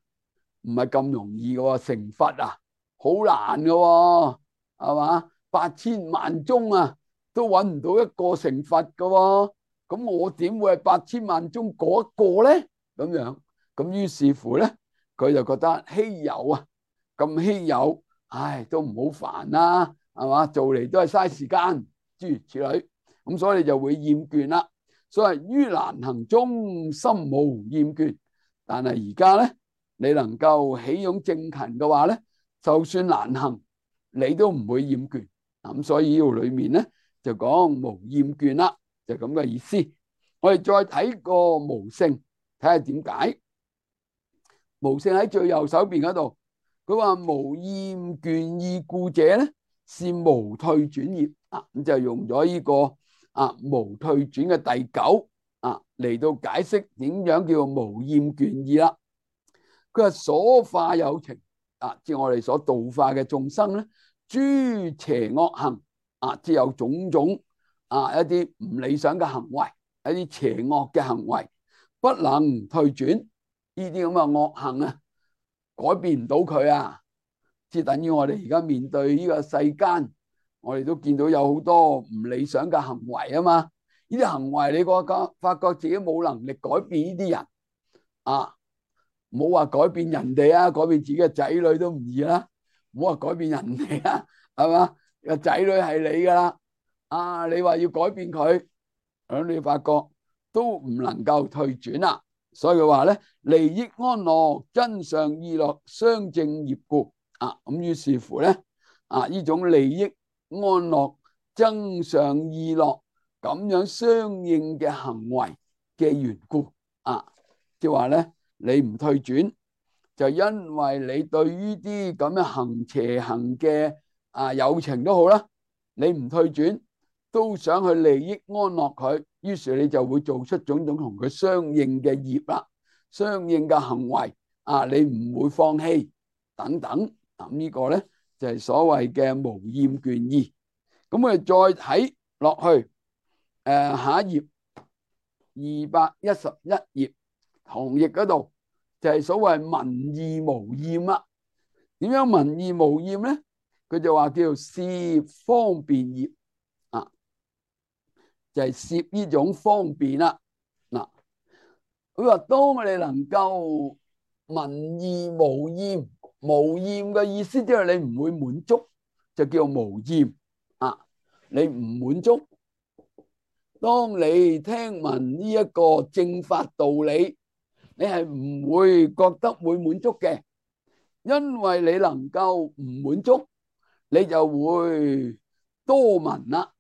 唔係咁容易嘅，成佛啊，好難嘅，係嘛？八千萬中啊，都揾唔到一個成佛嘅，咁我點會係八千萬中嗰一個咧？咁樣，咁於是乎咧，佢就覺得稀有啊，咁稀有，唉，都唔好煩啦，係嘛？做嚟都係嘥時間，諸如此類，咁所以你就會厭倦啦。所以於難行中心無厭倦，但係而家咧，你能夠起用正勤嘅話咧，就算難行，你都唔會厭倦。咁所以呢度裏面咧就講無厭倦啦，就咁嘅意思。我哋再睇個無性，睇下點解。無性喺最右手邊嗰度，佢話無厭倦意故者咧，是無退轉業啊，咁就用咗呢個啊無退轉嘅第九啊嚟到解釋點樣叫無厭倦意啦。佢話所化有情啊，即係我哋所度化嘅眾生咧，諸邪惡行啊，即係有種種啊一啲唔理想嘅行為，一啲邪惡嘅行為，不能退轉。呢啲咁嘅惡行啊，改變唔到佢啊，即係等於我哋而家面對呢個世間，我哋都見到有好多唔理想嘅行為啊嘛。呢啲行為你覺覺發覺自己冇能力改變呢啲人啊，冇話改變人哋啊，改變自己嘅仔女都唔易啦，唔好話改變人哋啊，係嘛？個仔女係你噶啦，啊，你話要改變佢，咁你發覺都唔能夠退轉啦。所以佢話咧，利益安樂真相意樂相正業故啊，咁於是乎咧啊，呢種利益安樂真相意樂咁樣相應嘅行為嘅緣故啊，即係話咧，你唔退轉，就因為你對於啲咁樣行邪行嘅啊有情都好啦，你唔退轉，都想去利益安樂佢，於是你就會做出種種同佢相應嘅業啦，相應嘅行為啊，你唔會放棄等等。咁呢個咧就係所謂嘅無厭倦意。咁我哋再睇落去，誒下一頁二百一十一頁同譯嗰度就係所謂聞義無厭啦。點樣聞義無厭咧？佢就話叫做攝方便業啊，就係攝呢種方便啦。嗱，佢話當我哋能夠聞義無厭，無厭嘅意思即係你唔會滿足，就叫無厭啊。你唔滿足，當你聽聞呢一個正法道理，你係唔會覺得會滿足嘅，因為你能夠唔滿足，你就會多聞啦。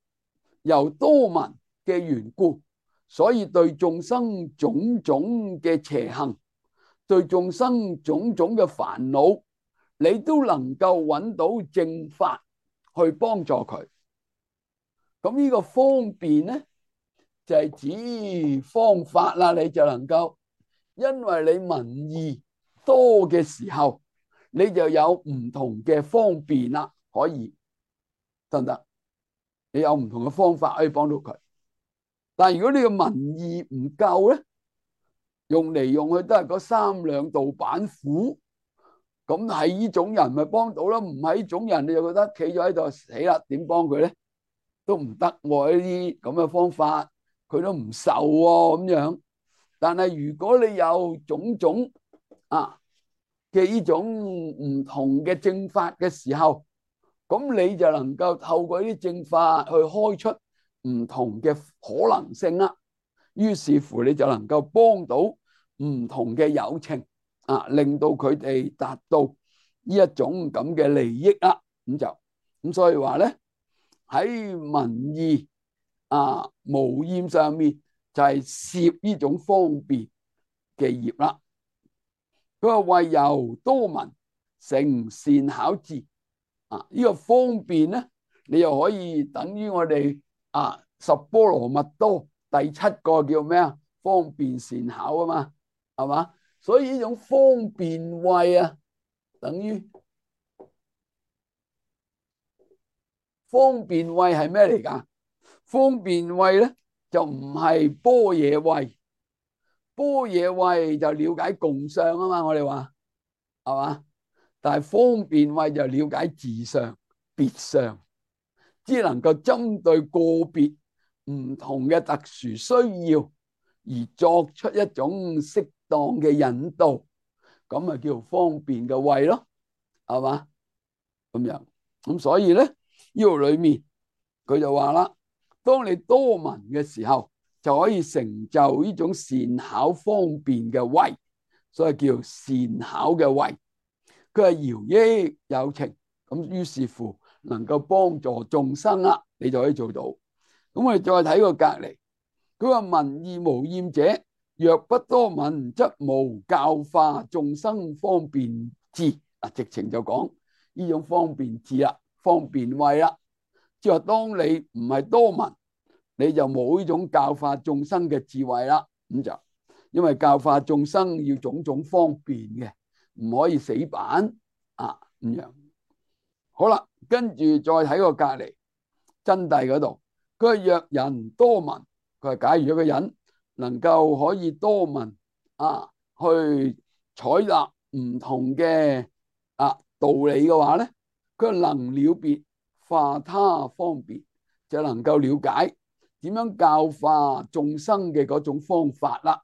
由多聞嘅緣故，所以對眾生種種嘅邪行，對眾生種種嘅煩惱，你都能夠揾到正法去幫助佢。咁呢個方便咧，就係指方法啦。你就能夠，因為你文意多嘅時候，你就有唔同嘅方便啦，可以得唔得？你有唔同嘅方法可以幫到佢。但係如果你嘅文意唔夠咧，用嚟用去都係嗰三兩道板斧，咁係呢種人咪幫到啦？唔係呢種人，你就覺得企咗喺度死啦，點幫佢咧？都唔得喎，呢啲咁嘅方法，佢都唔受喎咁樣。但係如果你有種種啊嘅呢種唔同嘅正法嘅時候，咁你就能夠透過呢啲正法去開出唔同嘅可能性啦。於是乎你就能夠幫到唔同嘅有情啊，令到佢哋達到呢一種咁嘅利益啦。咁就咁，所以話咧，喺文意啊無厭上面就係攝呢種方便嘅業啦。佢話為由多聞成善巧智啊，呢個方便咧，你又可以等於我哋啊十波羅蜜多第七個叫咩啊？方便善巧啊嘛，係嘛？所以呢種方便慧啊，等於方便慧係咩嚟噶？方便慧咧就唔係般若慧，般若慧就了解共相啊嘛，我哋話係嘛？但係方便慧就了解自相、別相，只能夠針對個別唔同嘅特殊需要而作出一種適當嘅引導，咁咪叫做方便嘅慧咯，係嘛？咁樣咁所以咧，呢度裏面佢就話啦，當你多聞嘅時候，就可以成就呢種善巧方便嘅慧，所以叫善巧嘅慧。佢係饒益有情，咁於是乎能夠幫助眾生啦，你就可以做到。咁我哋再睇個隔籬，佢話文意無厭者，若不多聞，則無教化眾生方便智。啊，直情就講呢種方便智啦，方便慧啦。即係話當你唔係多聞，你就冇呢種教化眾生嘅智慧啦。咁就因為教化眾生要種種方便嘅，唔可以死板啊咁樣。好啦，跟住再睇個隔籬真諦嗰度，佢係若人多聞，佢係假如一個人能夠可以多聞啊，去採納唔同嘅啊道理嘅話咧，佢能了別化他方便，就能夠了解點樣教化眾生嘅嗰種方法啦。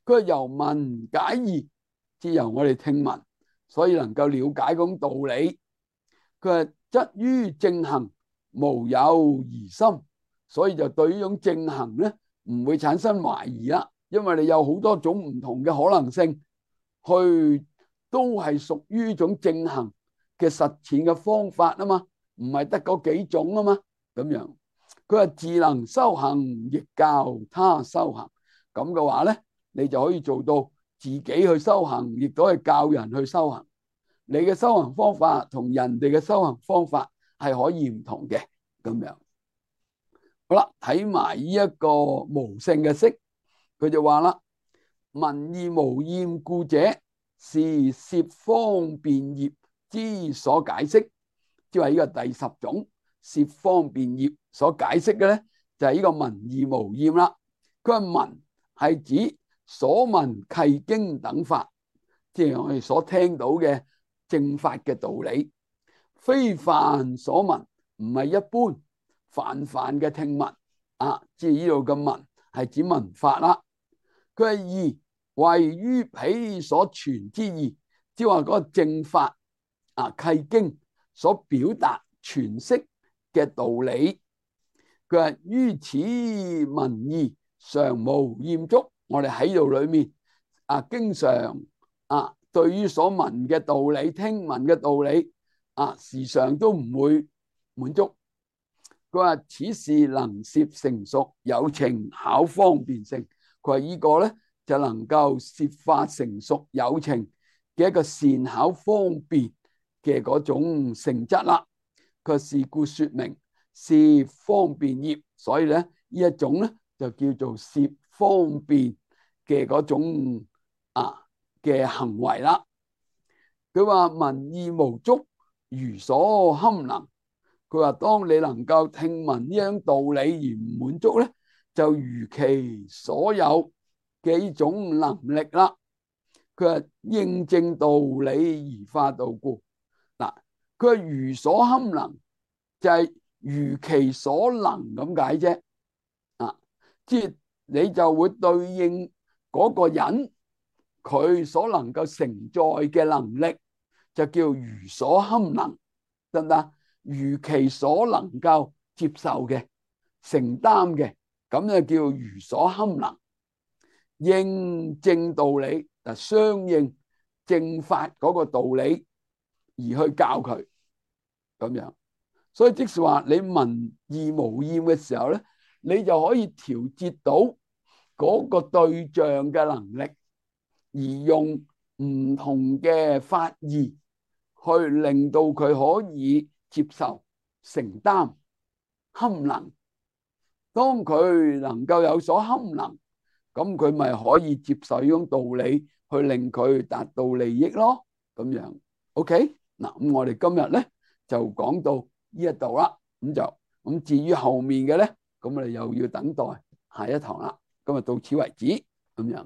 佢係由聞解義，即由我哋聽聞，所以能夠了解嗰種道理。佢係則於正行無有疑心，所以就對呢種正行咧唔會產生懷疑啦，因為你有好多種唔同嘅可能性，去都係屬於呢種正行嘅實踐嘅方法啊嘛，唔係得嗰幾種啊嘛，咁樣。佢話自能修行，亦教他修行，咁嘅話咧，你就可以做到自己去修行，亦都係教人去修行。你嘅修行方法同人哋嘅修行方法係可以唔同嘅，咁樣。好啦，睇埋呢一個無性嘅釋，佢就話啦：文意無厭故者，是攝方便業之所解釋。即係呢個第十種攝方便業所解釋嘅咧，就係呢個文意無厭啦。佢話文係指所聞契經等法，即係我哋所聽到嘅正法嘅道理，非凡所聞，唔係一般泛泛嘅聽聞啊！即係呢度嘅聞係指聞法啦。佢係義為於彼所傳之義，即係話嗰個正法啊契經所表達詮釋嘅道理。佢話於此文義常無厭足，我哋喺度裏面啊，經常啊。對於所聞嘅道理、聽聞嘅道理啊，時常都唔會滿足。佢話此事能攝成熟有情巧方便性。佢話呢個咧就能夠攝化成熟有情嘅一個善巧方便嘅嗰種性質啦。佢是故說明攝方便業，所以咧呢一種咧就叫做攝方便嘅嗰種啊嘅行為啦。佢話聞意無足，如所堪能。佢話當你能夠聽聞呢樣道理而唔滿足咧，就如其所有嘅呢種能力啦。佢話應正道理而化道故。嗱，佢話如所堪能就係、是、如其所能咁解啫。啊，即係你就會對應嗰個人佢所能夠承載嘅能力，就叫如所堪能，得唔得？如其所能夠接受嘅、承擔嘅，咁就叫如所堪能。應正道理，嗱，相應正法嗰個道理而去教佢咁樣。所以即是話你聞義無厭嘅時候咧，你就可以調節到嗰個對象嘅能力，而用唔同嘅法義去令到佢可以接受、承擔、堪能。當佢能夠有所堪能，咁佢咪可以接受呢種道理，去令佢達到利益咯。咁樣 OK 嗱，咁我哋今日咧就講到呢一度啦。咁就咁至於後面嘅咧，咁我哋又要等待下一堂啦。今日到此為止咁樣。